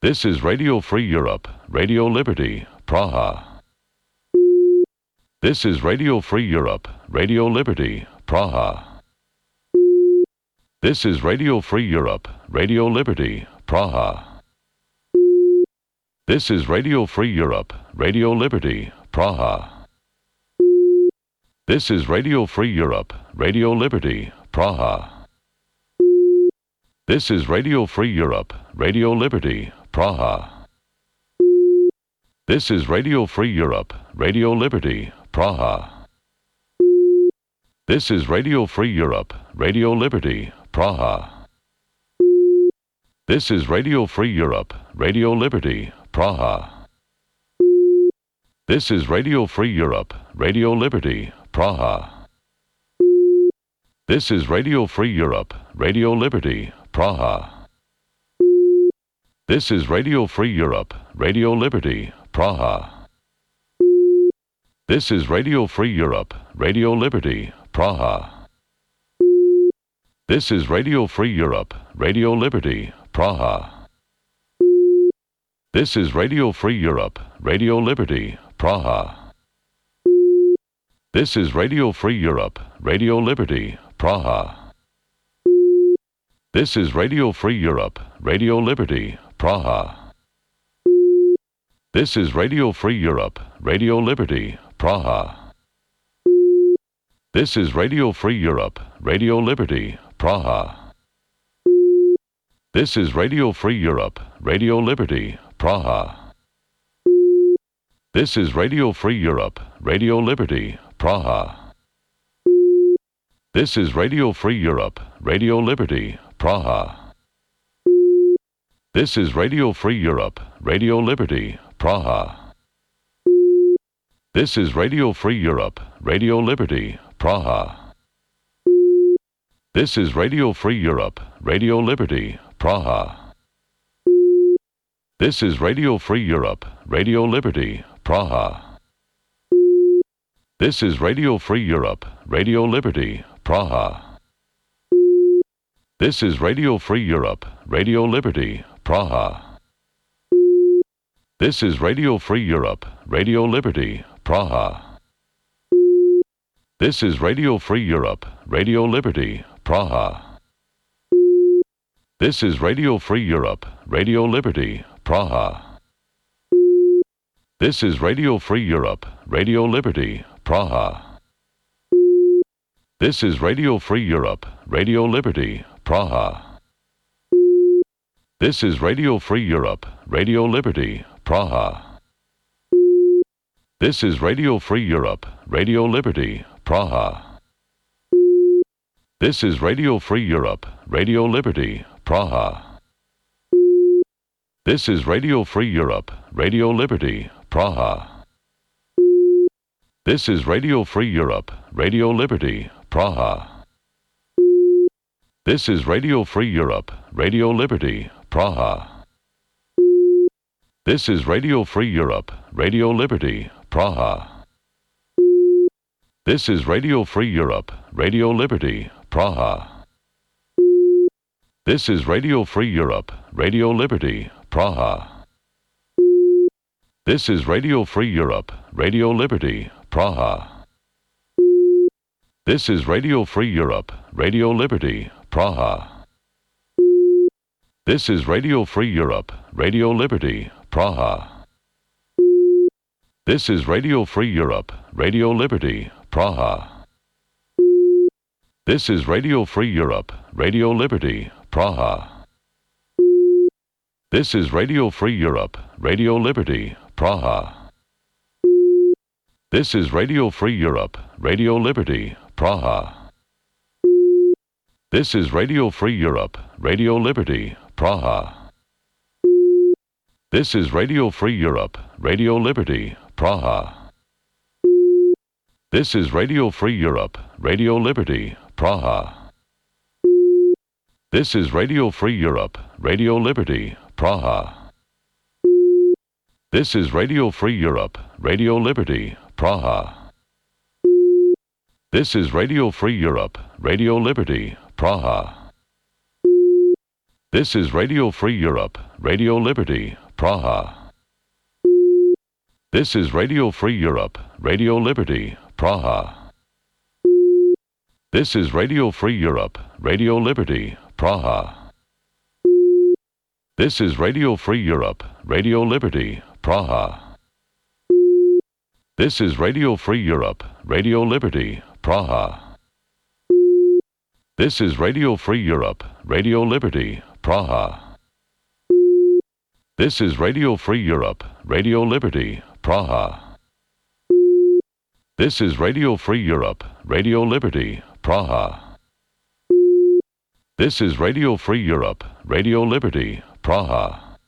This is Radio Free Europe, Radio Liberty, Praha. This is Radio Free Europe, Radio Liberty, Praha. This is Radio Free Europe, Radio Liberty, Praha. This is Radio Free Europe, Radio Liberty, Praha. This is Radio Free Europe, Radio Liberty, Praha. This is Radio Free Europe, Radio Liberty, Praha. This is Radio Free Europe, Radio Liberty, Praha. This is Radio Free Europe, Radio Liberty, Praha. This is Radio Free Europe, Radio Liberty, Praha. This is Radio Free Europe, Radio Liberty, Praha. This is Radio Free Europe, Radio Liberty, Praha. This is Radio Free Europe, Radio Liberty, Praha. This is Radio Free Europe, Radio Liberty, Praha. This is Radio Free Europe, Radio Liberty, Praha. This is Radio Free Europe, Radio Liberty, Praha. This is Radio Free Europe, Radio Liberty, Praha. This is Radio Free Europe, Radio Liberty, Praha. This is Radio Free Europe, Radio Liberty, Praha. This is Radio Free Europe, Radio Liberty, Praha. This is Radio Free Europe, Radio Liberty, Praha. This is Radio Free Europe, Radio Liberty, Praha. This is Radio Free Europe, Radio Liberty, Praha. This is Radio Free Europe, Radio Liberty, Praha. This is Radio Free Europe, Radio Liberty, Praha. This is Radio Free Europe, Radio Liberty, Praha. This is Radio Free Europe, Radio Liberty, Praha. This is Radio Free Europe, Radio Liberty, Praha. This is Radio Free Europe, Radio Liberty, Praha. This is Radio Free Europe, Radio Liberty, Praha. This is Radio Free Europe, Radio Liberty, Praha. This is Radio Free Europe, Radio Liberty, Praha. This is Radio Free Europe, Radio Liberty, Praha. This is Radio Free Europe, Radio Liberty, Praha. This is Radio Free Europe, Radio Liberty, Praha. This is Radio Free Europe, Radio Liberty, Praha. This is Radio Free Europe, Radio Liberty, Praha. This is Radio Free Europe, Radio Liberty, Praha. This is Radio Free Europe, Radio Liberty, Praha. This is Radio Free Europe, Radio Liberty, Praha. This is Radio Free Europe, Radio Liberty, Praha. This is Radio Free Europe, Radio Liberty, Praha. This is Radio Free Europe, Radio Liberty, Praha. This is Radio Free Europe, Radio Liberty, Praha. This is Radio Free Europe, Radio Liberty, Praha. This is Radio Free Europe, Radio Liberty, Praha. This is Radio Free Europe, Radio Liberty, Praha. This is Radio Free Europe, Radio Liberty, Praha. This is Radio Free Europe, Radio Liberty, Praha. This is Radio Free Europe, Radio Liberty, Praha. This is Radio Free Europe, Radio Liberty, Praha. This is Radio Free Europe, Radio Liberty, Praha. This is Radio Free Europe, Radio Liberty, Praha. This is Radio Free Europe, Radio Liberty, Praha. This is Radio Free Europe, Radio Liberty, Praha. This is Radio Free Europe, Radio Liberty, Praha. This is Radio Free Europe, Radio Liberty, Praha. This is Radio Free Europe, Radio Liberty, Praha. This is Radio Free Europe, Radio Liberty, Praha. This is Radio Free Europe, Radio Liberty, Praha. This is Radio Free Europe, Radio Liberty, Praha. This is Radio Free Europe, Radio Liberty, Praha. This is Radio Free Europe, Radio Liberty, Praha. This is Radio Free Europe, Radio Liberty, Praha. This is Radio Free Europe, Radio Liberty, Praha.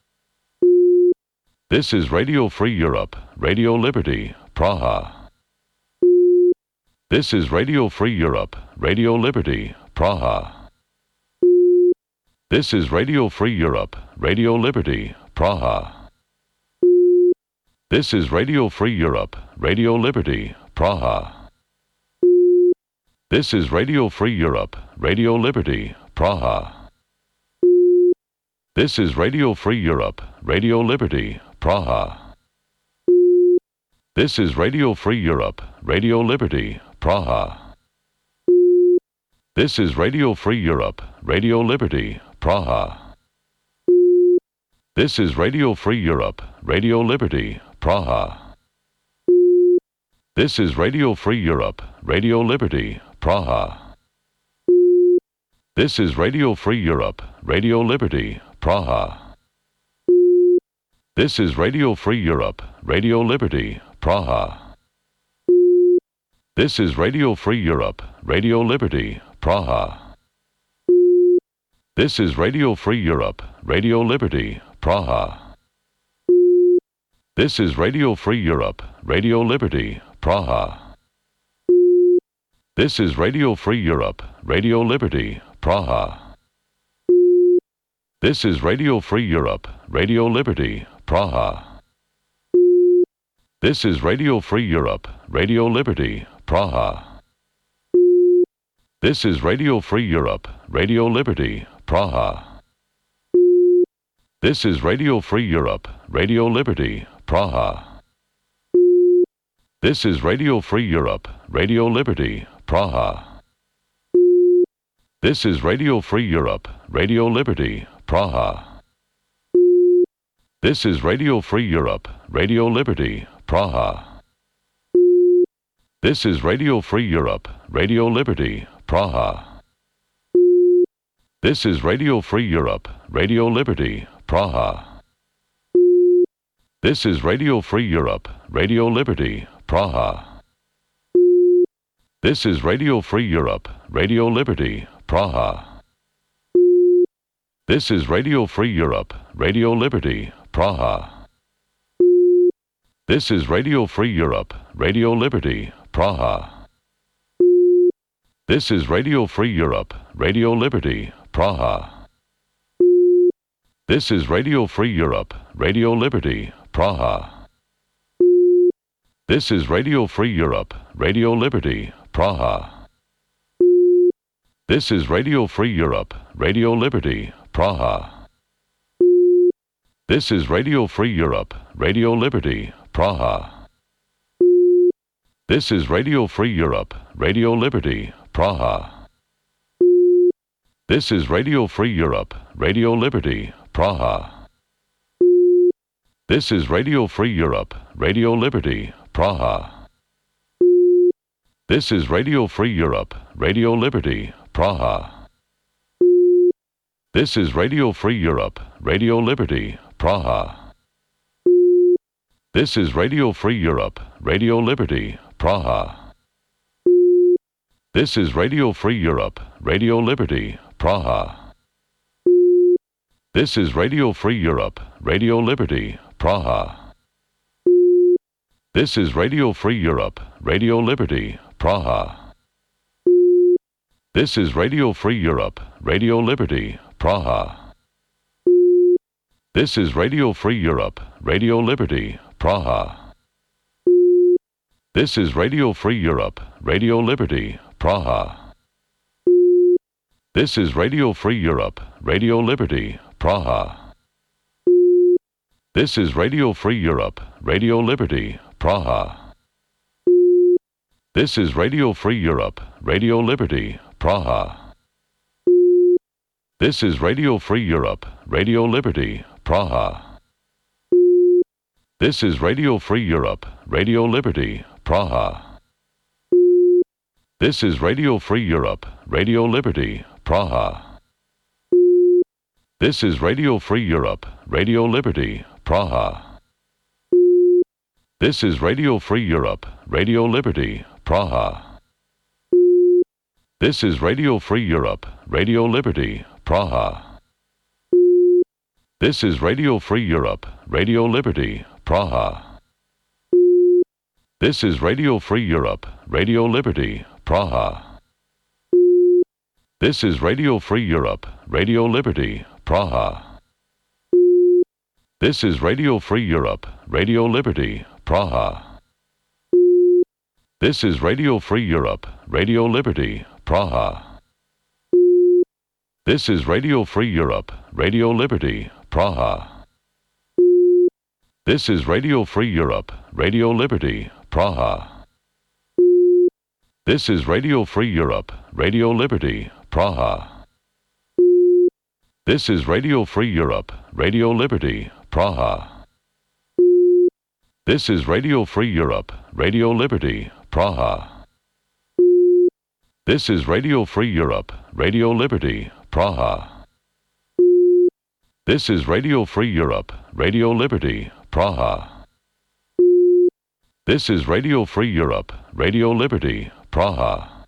This is Radio Free Europe, Radio Liberty, Praha. This is Radio Free Europe, Radio Liberty, Praha. This is Radio Free Europe, Radio Liberty, Praha. This is Radio Free Europe, Radio Liberty, Praha. This is Radio Free Europe, Radio Liberty, Praha. This is Radio Free Europe, Radio Liberty, Praha. This is Radio Free Europe, Radio Liberty, Praha. This is Radio Free Europe, Radio Liberty, Praha. This is Radio Free Europe, Radio Liberty, Praha. This is Radio Free Europe, Radio Liberty, Praha. This is Radio Free Europe, Radio Liberty, Praha. This is Radio Free Europe, Radio Liberty, Praha. This is Radio Free Europe, Radio Liberty, Praha. This is Radio Free Europe, Radio Liberty, Praha. This is Radio Free Europe, Radio Liberty, Praha. This is Radio Free Europe, Radio Liberty, Praha. This is Radio Free Europe, Radio Liberty, Praha. This is Radio Free Europe, Radio Liberty, Praha. This is Radio Free Europe, Radio Liberty, Praha. This is Radio Free Europe, Radio Liberty, Praha. This is Radio Free Europe, Radio Liberty, Praha. This is Radio Free Europe, Radio Liberty, Praha. This is Radio Free Europe, Radio Liberty, Praha. This is Radio Free Europe, Radio Liberty, Praha. This is Radio Free Europe, Radio Liberty, Praha. This is Radio Free Europe, Radio Liberty, Praha. This is Radio Free Europe, Radio Liberty, Praha. This is Radio Free Europe, Radio Liberty, Praha. This is Radio Free Europe, Radio Liberty, Praha. This is Radio Free Europe, Radio Liberty, Praha. This is Radio Free Europe, Radio Liberty, Praha. This is Radio Free Europe, Radio Liberty, Praha. This is Radio Free Europe, Radio Liberty, Praha. This is Radio Free Europe, Radio Liberty, Praha. This is Radio Free Europe, Radio Liberty, Praha. This is Radio Free Europe, Radio Liberty, Praha. This is Radio Free Europe, Radio Liberty, Praha. This is Radio Free Europe, Radio Liberty, Praha. This is Radio Free Europe, Radio Liberty, Praha. This is Radio Free Europe, Radio Liberty, Praha. This is Radio Free Europe, Radio Liberty, Praha. This is Radio Free Europe, Radio Liberty, Praha. This is Radio Free Europe, Radio Liberty, Praha. This is Radio Free Europe, Radio Liberty, Praha. This is Radio Free Europe, Radio Liberty, Praha. This is Radio Free Europe, Radio Liberty, Praha. This is Radio Free Europe, Radio Liberty, Praha. This is Radio Free Europe, Radio Liberty, Praha. This is Radio Free Europe, Radio Liberty, Praha. This is Radio Free Europe, Radio Liberty, Praha. This is Radio Free Europe, Radio Liberty, Praha. This is Radio Free Europe, Radio Liberty, Praha. This is Radio Free Europe, Radio Liberty, Praha. This is Radio Free Europe, Radio Liberty, Praha. This is Radio Free Europe, Radio Liberty, Praha. This is Radio Free Europe, Radio Liberty, Praha. This is Radio Free Europe, Radio Liberty, Praha. This is Radio Free Europe, Radio Liberty, Praha. This is Radio Free Europe, Radio Liberty, Praha. This is Radio Free Europe, Radio Liberty, Praha. This is Radio Free Europe, Radio Liberty, Praha. This is Radio Free Europe, Radio Liberty, Praha. This is Radio Free Europe, Radio Liberty, Praha. This is Radio Free Europe, Radio Liberty, Praha. This is Radio Free Europe, Radio Liberty, Praha. This is Radio Free Europe, Radio Liberty, Praha. This is Radio Free Europe, Radio Liberty, Praha. This is Radio Free Europe, Radio Liberty, Praha.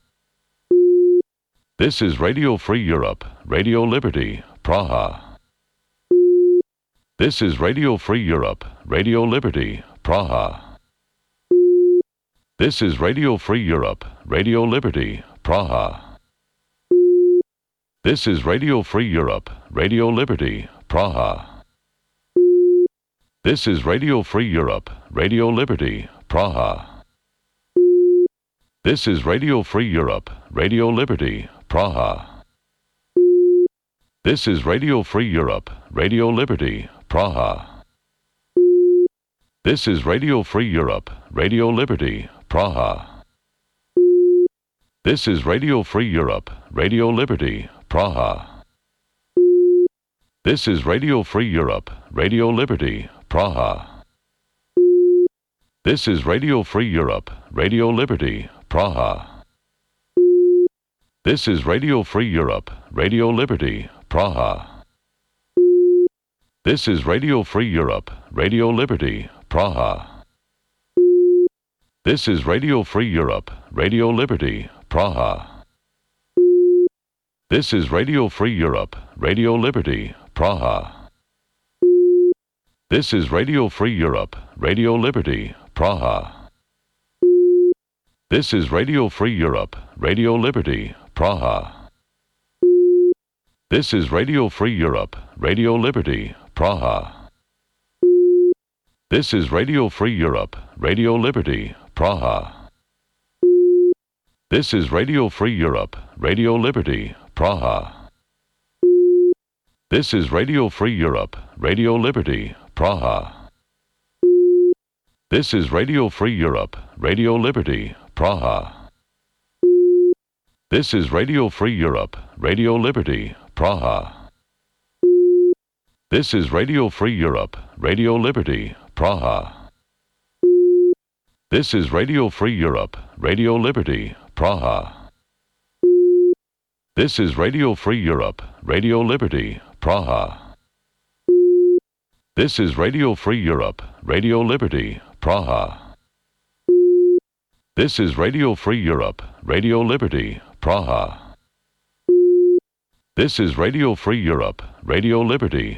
This is Radio Free Europe, Radio Liberty, Praha. This is Radio Free Europe, Radio Liberty, Praha. This is Radio Free Europe, Radio Liberty, Praha. This is Radio Free Europe, Radio Liberty, Praha. This is Radio Free Europe, Radio Liberty, Praha. This is Radio Free Europe, Radio Liberty, Praha. This is Radio Free Europe, Radio Liberty, Praha. This is Radio Free Europe, Radio Liberty, Praha. This is Radio Free Europe, Radio Liberty, Praha. This is Radio Free Europe, Radio Liberty, Praha. This is Radio Free Europe, Radio Liberty, Praha. This is Radio Free Europe, Radio Liberty, Praha. This is Radio Free Europe, Radio Liberty, Praha. This is Radio Free Europe, Radio Liberty, Praha. This is Radio Free Europe, Radio Liberty, Praha. This is Radio Free Europe, Radio Liberty, Praha. This is Radio Free Europe, Radio Liberty, Praha. This is Radio Free Europe, Radio Liberty, Praha. This is Radio Free Europe, Radio Liberty, Praha. This is Radio Free Europe, Radio Liberty, Praha. This is Radio Free Europe, Radio Liberty, Praha. This is Radio Free Europe, Radio Liberty, Praha. This is Radio Free Europe, Radio Liberty, Praha. This is Radio Free Europe, Radio Liberty, Praha. This is Radio Free Europe, Radio Liberty, Praha. This is Radio Free Europe, Radio Liberty, Praha. This is Radio Free Europe, Radio Liberty, Praha. This is Radio Free Europe, Radio Liberty, Praha. This is Radio Free Europe, Radio Liberty,